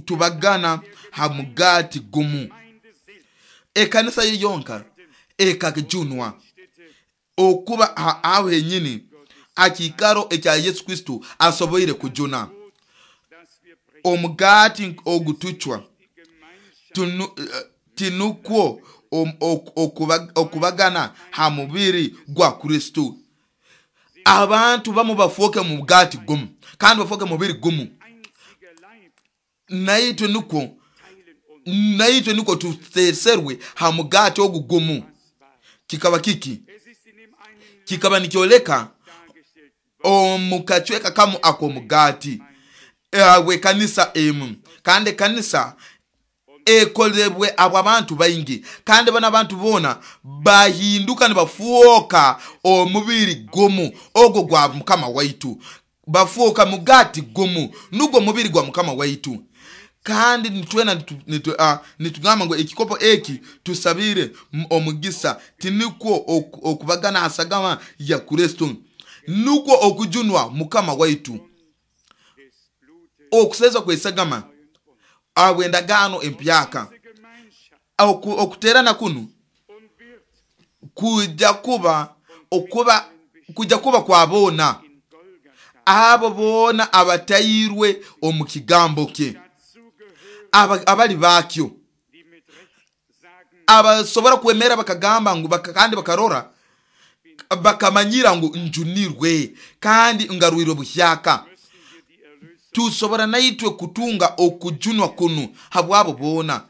tubagana ha mugaati gumu. Ekanisa ye yonka ekajunwa okuba aho henyini akikaro ekya Yesu Kristo asoboire kujuna. Omugaati ogutuchwa tinukwo okubagana ha mubiri gwa Kristo. Abantu bamu bafoke mugaati gumu kandi bafoke mubiri gumu, naitwe nukwo naitwe nukwo tuteserwe ha mugaati ogu gumu. Kikaba kiki? Kikaba nikyoleka omukachweka kamu ako mugaati we kanisa emu, kandi kanisa ekolebwe abo abantu baingi, kandi bana abantu bona bahinduka nibafuoka omubiri gumu ogwo gwa Mukama waitu, bafuoka mugati gumu nugwo mubiri gwa Mukama waitu. Kandi nitwena nitugamba ngu ekikopo eki tusabire omugisa tinikwo okubagana hasagama ya Kristo, nukwo okujunwa Mukama waitu, okuseza kwesagama abwendagano empyaka. Okuterana kunu kujja kuba okuba kujja kuba kwa bona abo bona abatairwe omu kigambo kye, abali bakyo, abasobora kwemera bakagamba ngu kandi bakarora bakamanyira ngu njunirwe kandi ngarwirwe buhyaka. Tusobora naitwe kutunga okujunwa kunu habwabo bona,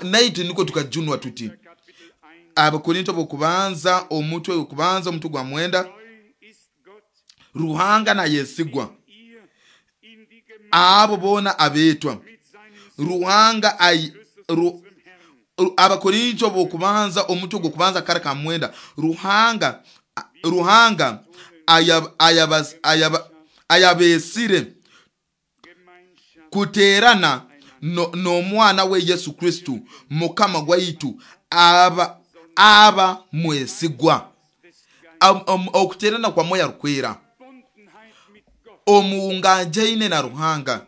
naitwe niko tukajunwa tuti. Abakorinto bokubanza omutwe okubanza omutwe gwa mwenda, Ruhanga na yesigwa abo bona abetwa Ruhanga ay ru, Abakorinto bokubanza omutwe gwokubanza kara ka mwenda, Ruhanga Ruhanga ayabas ayaba ayabesire kuterana n'omwana no we Yesu Kristo Mukama gwaitu aba aba mwesigwa. Okuterana kwa moyo rukwera omuunganjaine na Ruhanga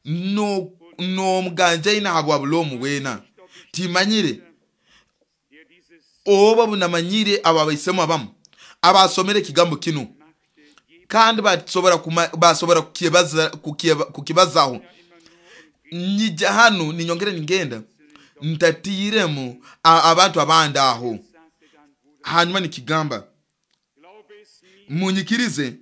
no n'omuganjaine habwa bulomu wena. Timanyire oba bunamanyire aba baisemu abamu abasomere kigambo kino kandi basobora basobora kukibaza kukibazaho. Nyija hano ninyongere ningenda ntatiremu abantu abandi aho. Hanyuma nikigamba munyikirize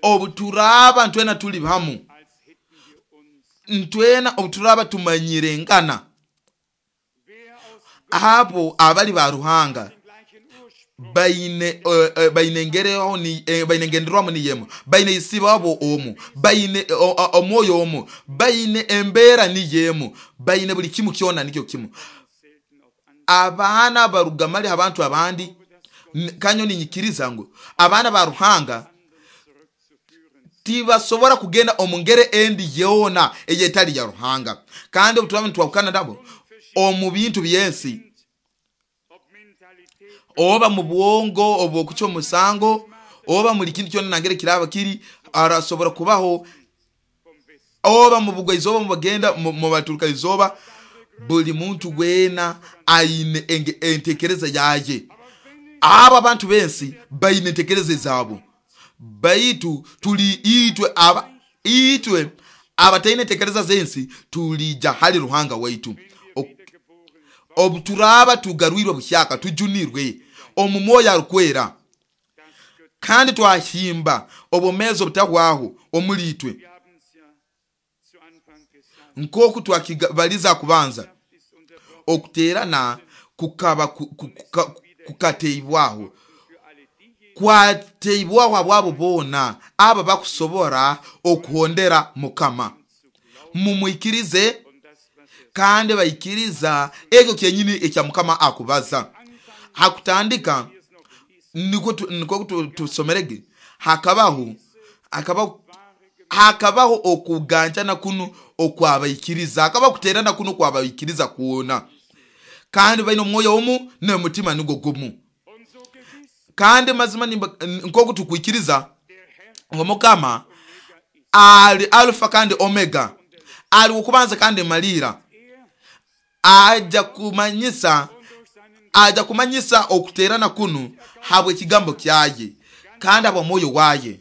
obuturaba ntwena tuli hamu, ntwena obuturaba tumanyire ngana abo abali ba Ruhanga baine uh, baine ngereho ni eh, baine ngenderwamu ni yemu, baine isibabo omu, baine omwoyo omu, baine embera ni yemu, baine buli kimu kyona nikyo kimu. Abaana barugamali abantu abandi kanyo ninyikiriza ngu abaana ba Ruhanga tibasobora kugenda omungere endi yona eyetali ya Ruhanga. Kandi obuturaba nitwakana nabo omu bintu byensi, oba mu bwongo obo kucho musango, oba muri kintu kyona nangere kiraba kiri arasobora kubaho, oba mu bugwa izoba mu bagenda mu baturuka izoba, buli muntu gwena aine entekereza yaye. Aba abantu bensi baine entekereza zabo, baitu tuli itwe aba itwe abataine entekereza zensi tulija hali Ruhanga waitu. Obuturaba tugarwirwe buhyaka tujunirwe omu moyo arukwera kandi twahimba obumezo butahwaho omuli itwe, nkoku twakibaliza kubanza okuterana kukaba kukateibwaho Kwateibwaho abwabo boona aba bakusobora okuhondera Mukama. Mumwikirize kandi baikiriza ekyo kyenyini ekya Mukama akubaza. Hakutandika niko niko tusomerege hakabaho hakabaho hakabaho okuganjana kunu okwabaikiriza, hakaba kuterana kuno kwabaikiriza kuona, kandi baino omwoyo omu n'omutima nigo gumu. Kandi mazima nkoku tukwikiriza ngo Mukama ali Alfa kandi Omega, ali okubanza kandi malira, aja kumanyisa aja kumanyisa okuterana kunu habwe kigambo kyaye kandi abo mwoyo waye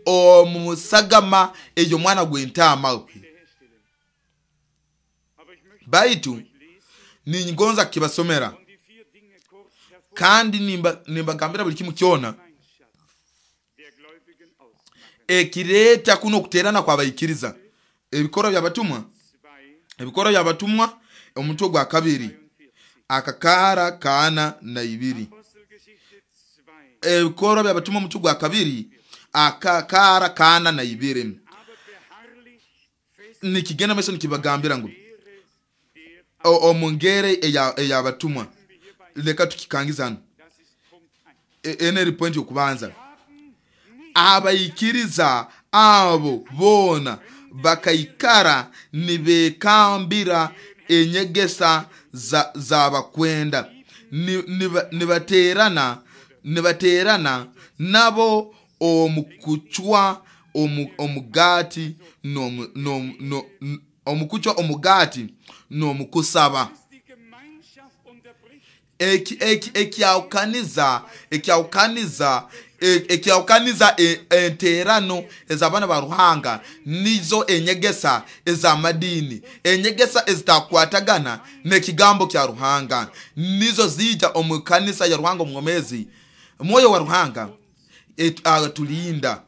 omusagama eyo mwana gw'entaama. Baitu ningonza kibasomera kandi nimba nimbagambira buli kimu kyona ekireta kuno kuterana kwabaikiriza. Ebikoro by'abatumwa, ebikoro by'abatumwa omutwe gwa kabiri akakara kana na ibiri. Ebikoro by'abatumwa omutwe gwa kabiri akakara kana na ibiri. Nikigenda meso nikibagambira ngu omungere eyabatumwa. Leka tukikangiza hano eneri point okubanza. Abaikiriza abo bona bakaikara nibekambira enyegesa za zabakwenda, nibaterana nibaterana nabo omukuchwa omugati no no no omukuchwa omugati no mukusaba. Eki eki ekyaukaniza ekyaukaniza ekyaukaniza enterano ez'abana ba Ruhanga nizo enyegesa ez'amadini, enyegesa ezitakwatagana n'ekigambo kya Ruhanga, nizo zija omu kanisa ya Ruhanga omwomezi. Mwoyo wa Ruhanga atulinda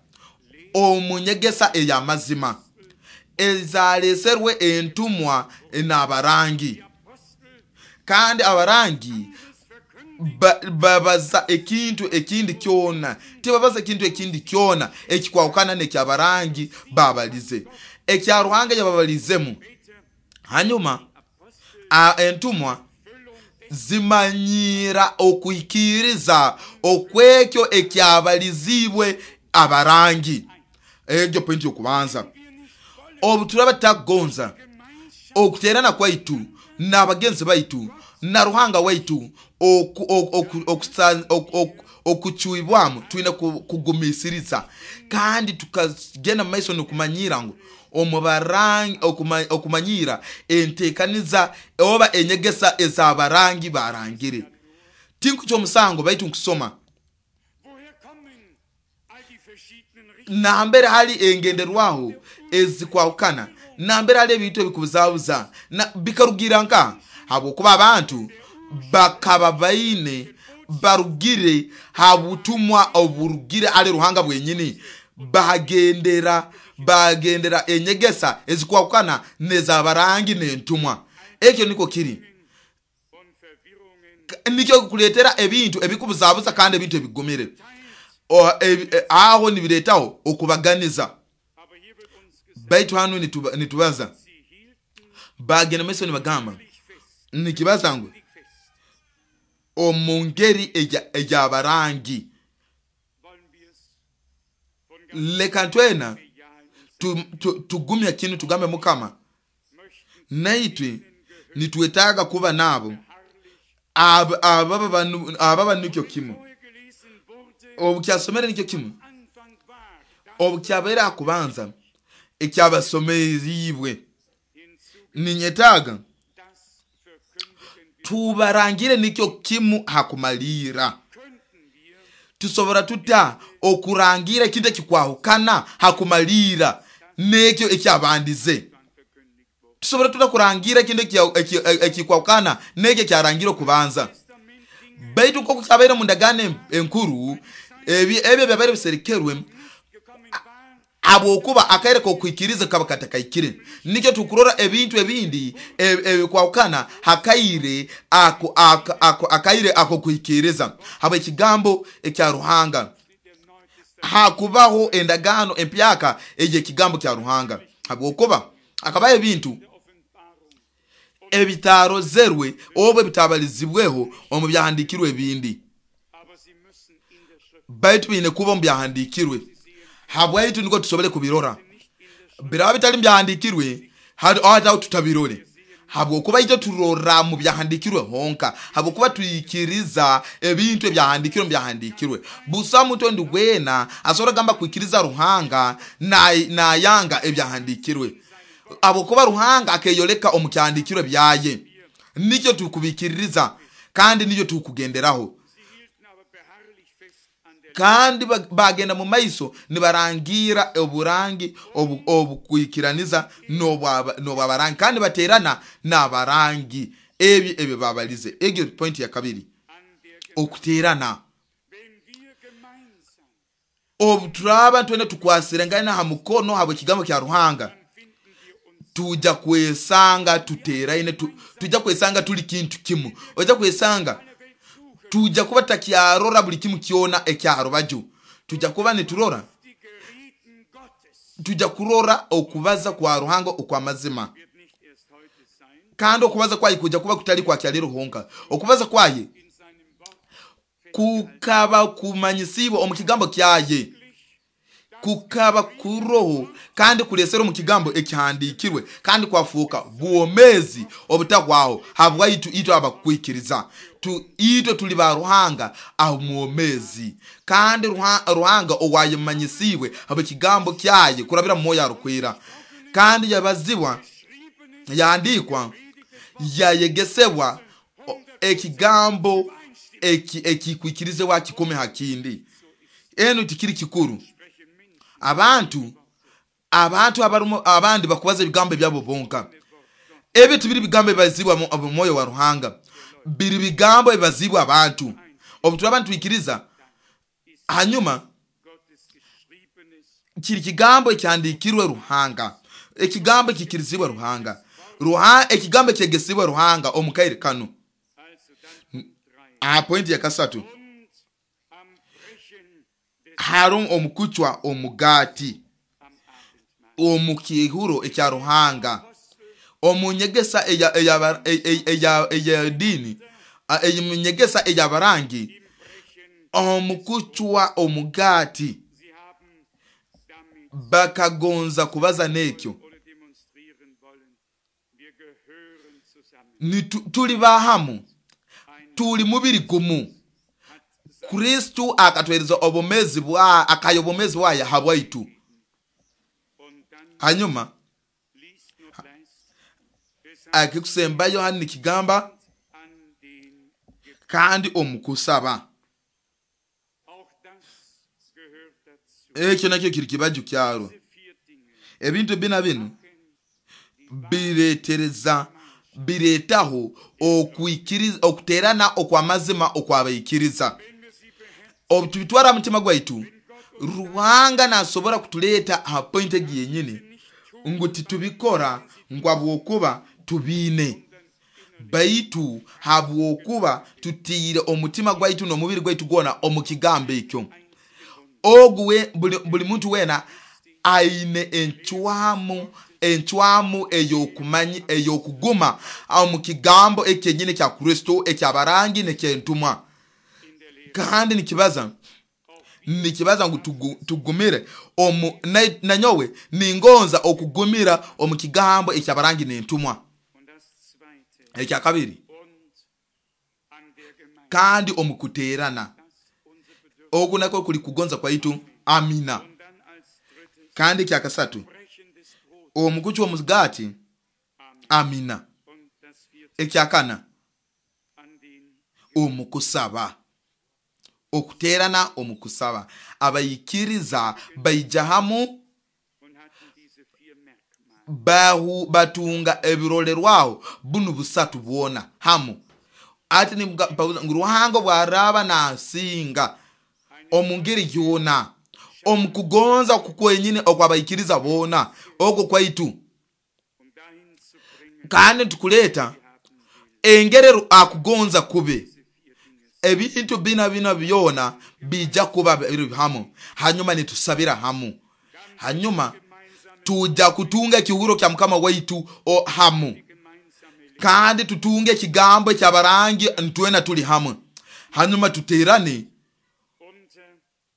omunyegesa ey'amazima ezaleserwe entumwa n'abarangi, kandi abarangi babaza ekintu ekindi kyona, tibabaza ekintu ekindi kyona ekikwawukana n'ekyabarangi babalize ekya Ruhanga yababalizemu. Hanyuma entumwa zimanyira okuikiriza okwekyo ekyabalizibwe abarangi. Egyo pointi yokubanza. Obu turaba tagonza okuterana kwaitu n'abagenzi baitu na Ruhanga waitu okucuibwamu, twine kugumisiriza kandi tukagenda maiso nokumanyira ngu omubarangi okumanyira entekaniza oba enyegesa ez'abarangi barangire. Tinkucho omusango baitu nkusoma nambere hali engenderwaho ezikwawukana, nambere hali ebintu ebikubuzabuza bikarugira nka habwokuba abantu bakaba baine barugire habutumwa oburugire ali Ruhanga bwenyini, bagendera bagendera enyegesa ezikwawukana nezabarangi n'entumwa. Ekyo niko kiri nikyo kuletera ebintu ebikubuzabuza kandi ebintu ebigumire aho nibiretaho okubaganiza. Baitu hano nitubaza bagenda meso nibagamba nikibaza ngu omungeri eyabarangi leka ntwena tugumya kinu tugambe Mukama naitwe nitwetaga kuba nabo ababa nikyo kimu. Obukyasomere nikyo kimu, obukyabera akubanza ekyabasomeribwe. Ninyetaga tubarangire nikyo kimu hakumalira. Tusobora tuta okurangira ekintu ekikwahukana hakumalira nekyo ekyabandize? Tusobora tuta kurangira ekintu ekikwahukana nekyo ekyarangire okubanza? Baitu nkoku kyabaire mu ndagaano enkuru, ebyo byabaire biserekerwe Habwokuba akaire k'okwikiriza kaba katakaikire. Nikyo tukurora ebintu ebindi ebikwahukana hakaire ako, ako, ako, akaire ako kwikiriza habw'ekigambo ekya Ruhanga. Hakubaho endagaano empyaka ey'ekigambo kya Ruhanga, habwokuba akabaho ebintu ebitarozerwe oba ebitabalizibweho omu byahandikirwe ebindi, baitu biine kuba omu byahandikirwe habwaitu niko tusobole kubirora. Biraba bitali mu byahandikirwe hataho tutabirore, habwokuba itwe turora mu byahandikirwe honka, habwokuba twikiriza ebintu ebyahandikirwe mu byahandikirwe. Busa muntu ondi gwena asobora gamba kwikiriza Ruhanga nayanga ebyahandikirwe, habwokuba Ruhanga akeyoleka omu kyahandikirwe byaye. Nikyo tukubikiririza kandi nikyo tukugenderaho. Kandi bagenda mu maiso nibarangira oburangi obukwikiraniza n'obwabarangi, kandi baterana n'abarangi. Ebyo ebyo babalize. Egyo point ya kabiri, okuterana. Obu turaba twene tukwasirengana ha mukono habw'ekigambo kya Ruhanga, tuja kwesanga tuteraine, tu, tuja kwesanga tuli kintu kimu. Oja kwesanga tuja kuba takyarora buli kimu kyona ekyarubaju. Tuja kuba niturora, tuja kurora okubaza kwa Ruhanga okwamazima. Kandi okubaza kwaye kuja kuba kutali kwa kyaliro honka. Okubaza kwaye kukaba kumanyisibwa omu kigambo kyaye, kukaba kuroho kandi kulesera omu kigambo ekihandikirwe, kandi kwafuuka bwomezi obutahwaho habwaitu itwe abakwikiriza. Tu itwe tuli ba Ruhanga aho mwomezi, kandi Ruhanga owayemanyisibwe habw'ekigambo kyaye kurabira mu Mwoyo Arukwera, kandi yabazibwa, yandikwa, yayegesebwa ekigambo ekikwikirizibwa kikome hakindi. Eno tikiri kikuru. Abantu abantu abarumo abandi bakubaza ebigambo byabo bonka. Ebyo tibiri bigambo ebazibwa mu Mwoyo wa Ruhanga, biri bigambo ebazibwa abantu. Obu turaba twikiriza hanyuma kiri kigambo ekyandikirwe Ruhanga, ekigambo ekikirizibwa Ruhanga, Ruha ekigambo ekyegesibwa Ruhanga omu kaire kanu. Aha point ya kasatu, harumu omukucwa omugati omu kihuro ekya Ruhanga. Omunyegesa eya eya eya eya dini, eyimunyegesa eyabarangi, omukucwa omugati bakagonza kubaza nekyo. Ni tuli bahamu, tuli mubiri gumu. Kristo akatwereza obomezi bwa akayobomezi bwa habwaitu. Hanyuma akikusembayo hano nikigamba kandi omukusaba. Ekyo nakyo kiri kibaju kyaro. Ebintu bina binu biretereza biretaho okwikiriza, okuterana okwamazima okwabaikiriza. Obu tubitwara mutima gwaitu, Ruhanga nasobora kutuleta aha point egi yenyini ngu titubikora ngu habwokuba tubiine, baitu habwokuba tutiire omutima gwaitu n'omubiri gwaitu gwona omu kigambo ekyo. Ogu we buli, buli muntu wena aine encwamu encwamu eyokumanyi eyokuguma omu kigambo ekyenyini kya Kristo ekyabarangi n'ekyentumwa. Kandi nikibaza nikibaza ngu tugumire omu nanyowe ningonza okugumira omu kigambo ekyabarangi n'entumwa. Ekya kabiri, kandi omukuterana. Oku nako kuli kugonza kwaitu. Amina. Kandi ekya kasatu, omukucwa omugati. Amina. Ekya kana, omukusaba. Okuterana omukusaba. Abayikiriza baija hamu bahu batunga ebirolerwaho bunu busatu bwona hamu. Ati ni ngu Ruhanga bwaraba nasinga omu ngeri yona, Omu kugonza kukwenyine okwabaikiriza boona okwo kwaitu, um dahin zu bringen, kandi nitukuleeta engerero akugonza kube diese vier Dinge ebintu bina bina byona bijja kuba biri hamu. Hanyuma nitusabira hamu, hanyuma gemeinsame, tuja kutunga ekihuro kya mukama waitu o hamu, gemeinsame Lehre kandi tutunge ekigambo ekyabarangi ntwena tuli hamwe. Hanyuma tuterane unter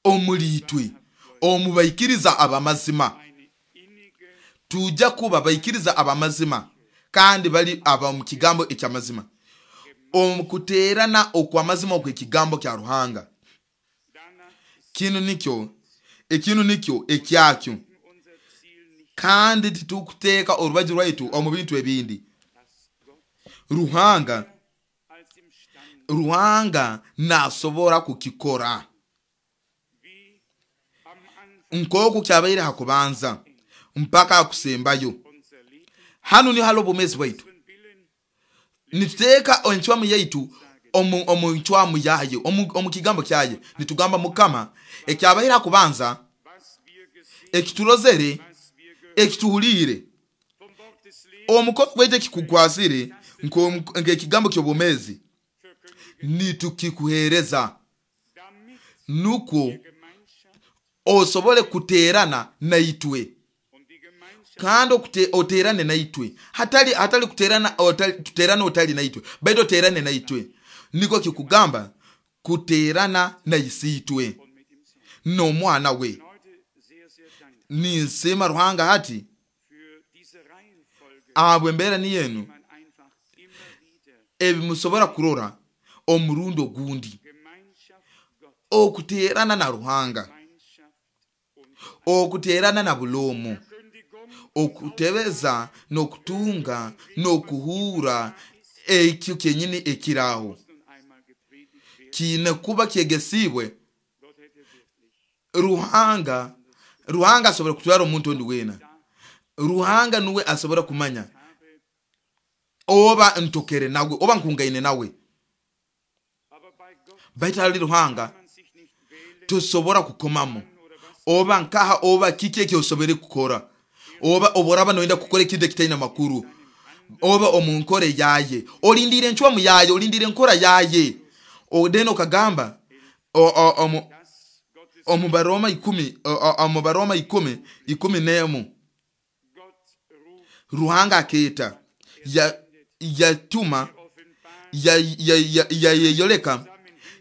omuli itwe omu baikiriza abamazima. eine innige Tujja kuba baikiriza abamazima kandi bali aba mu kigambo ekyamazima, omu kuterana okwamazima okw'ekigambo kya Ruhanga. Danach Kinu nikyo ekinu nikyo ekyakyo, unser Ziel nicht, kandi titukuteeka orubaju rwaitu omu bintu ebindi. dass Gott Ruhanga als imstande, Ruhanga nasobora kukikora wie am Anfang nk'oku kyabaire hakubanza mpaka akusembayo. unser Leben, Hanu niho hali obumezi bwaitu. unseren Willen Nituteeka encwamu yaitu omu omu ncwamu yaye, omu, omu kigambo kyaye. Nitugamba mukama ekyabaire hakubanza, was wir gesehen, ekiturozere, was wir gehört, ekituhuliire, vom Wort des Lebens omukono gwaitu ekikukwasire nk'omu- nk'ekigambo ky'obwomezi, verkündigen, nitukikuheereza damit nukwo die Gemeinschaft osobole kuteerana naitwe, und die Gemeinschaft kandi okute, oteerane naitwe, hatali hatali kuteerana otali, tuteerane otali naitwe, baitu oteerane naitwe. Niko kikugamba kuteerana na isiitwe und mit dem Sohn. n'omwana we. Bin heute sehr, sehr dankbar Ninsiima Ruhanga hati für diese Reihenfolge, ahabwa embeera ni yenu die man einfach immer wieder ebimusobora kurora omurundi ogundi, Gemeinschaft Gottes, okuteerana na Ruhanga, Gemeinschaft und okuteerana na buloomu, Verkündigung okutebeza n'okutunga n'okuhuura ekyo kyenyini ekiraaho muss nun einmal gepredigt werden. kiine kuba kyegesiibwe. Gott hätte wirklich Ruhanga Ruhanga asobora kutwara omuntu ondi weena. Ruhanga nuwe asobora kumanya habe, oba ntokere nawe oba nkungaine nawe, aber bei Gott baitu hali Ruhanga kann man sich nicht wählen tosobora kukomamu oder was oba nkaha oba kiki ekyosobere kukora, oba oboraba noyenda kukora ekintu ekitaine makuru, oba omu nkora yaye olindire encwamu yaye, olindire enkora yaye. Then okagamba o- o- omu das Gottes omu Baroma ikumi o- o- omu Baroma ikumi ikumi n'emu, Gott ruft, Ruhanga akeeta ya- yatuma offenbart, yayeyoleka ya, ya,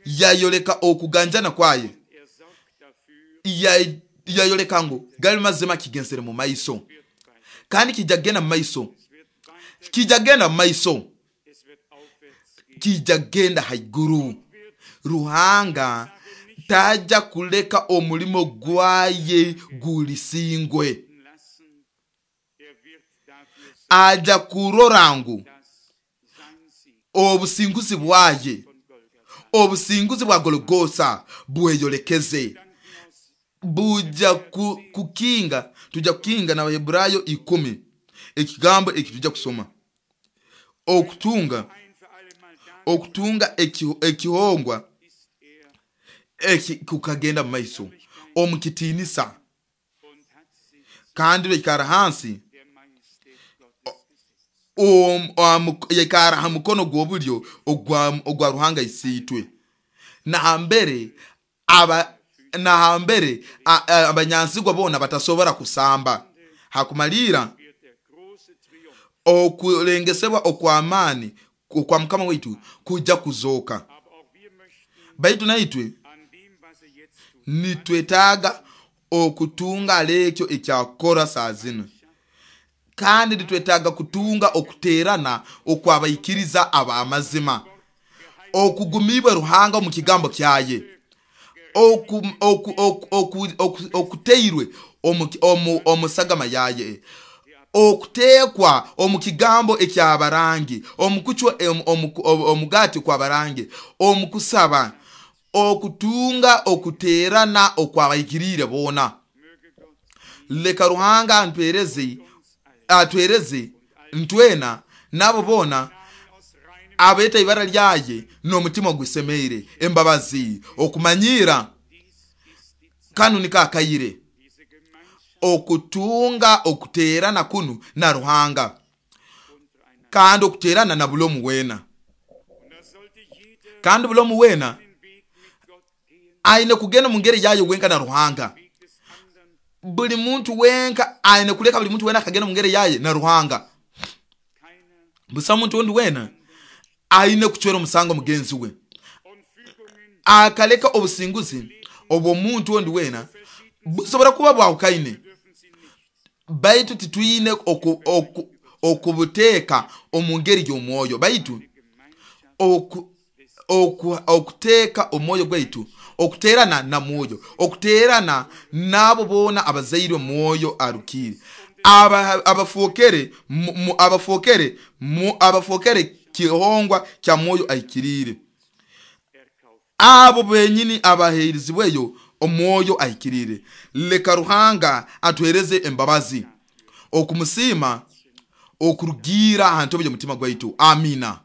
ya, yayoleka okuganjana kwaye, er sorgt dafür, Ya- yayoleka ngu gali mazima kigensere mu maiso, wird weiter, kandi kijja kugenda mu maiso, es wird weiter, kijja kugenda mu maiso, es wird aufwärts gehen. kijja kugenda haiguru. Wird Ruhanga tajja kuleka omulimo gwaye gulisingwe, lassen, er wird dafür sorgen, aja kurora ngu dass sein Sieg obusinguzi bwaye, von Golgatha obusinguzi bwa Gologosa bweyolekeze. Gedanken aus Buja ku, kukinga tujja kukinga na Baheburayo ikumi ekigambo eki tujja kusoma okutunga ein für alle Mal da okutunga eki- ekihongwa ist er eki kukagenda mu maiso omu kitiinisa, und hat sich kandi baikara hansi der Majestät Gottes gesetzt. om- omu- yaikara ha mukono gw'obulyo ogwa ogwa Ruhanga isiitwe. Nahambere aba nahambere a- a- abanyansigwa boona batasobora kusamba. Hakumalira Wird der große Triumph, okulengesebwa okw'amaani okwa mukama waitu kujja kuzooka. aber auch wir möchten Baitu naitwe an dem, was er jetzt tut, nitwetaaga okutunga alekyo ekyakora saa zino, kandi nitwetaaga kutunga okuteerana okwabaikiriza ab'amazima, okugumibwe Ruhanga omu kigambo kyaye, oku- oku- oku- oku- oku- okuteirwe omu- omu- omu sagama yaye, okuteekwa omu kigambo ekyabarangi, omu kucwa em- omu- omu- omugaati kwabarangi, omu kusaba, okutunga okuteerana okwabaikiriire boona. möge Gott Leka Ruhanga antwereze atwereze ntwena nabo boona Namen aus reinem abeeta ibara lyaye n'omutima gwisemeire embabazi okumanyira Dies ist die Zeit, Kanu niko akaire diese Gemeinschaft okutunga okuteerana kunu na Ruhanga, untereinander. Kandi okuteerana na buli omu weena. Und da sollte jeder Kandi buli omu weena den Weg mit Gott gehen, aine kugenda mu ngeri yayo wenka na Ruhanga. Weg des anderen. Buli muntu wenka aine kuleka buli muntu wena akagenda mu ngeri yaye na Ruhanga. Keiner Busa muntu ondi wena aine kucwera omusango mugenzi we, und Fügungen akaleka obusinguzi obw'omuntu ondi wena busobora kuba bwahukaine, dürfen sie nicht. Baitu titwine oku- oku- okubuteeka omu ngeri y'omwoyo, baitu Gemeinschaft oku- oku- okuteeka omwoyo gwaitu okuteerana na mwoyo, okuteerana n'abo boona abazairwe mwoyo arukiire, Aba- abafookere mu- mu- abafookere mu- abafookere kihongwa kya mwoyo ahikiriire, erkauft. Abo benyini abaheerizibweyo omwoyo ahikiriire. Leka Ruhanga atuhereze embabazi okumusiima okurugiira aha ntobo y'omutima gwaitu. Amina.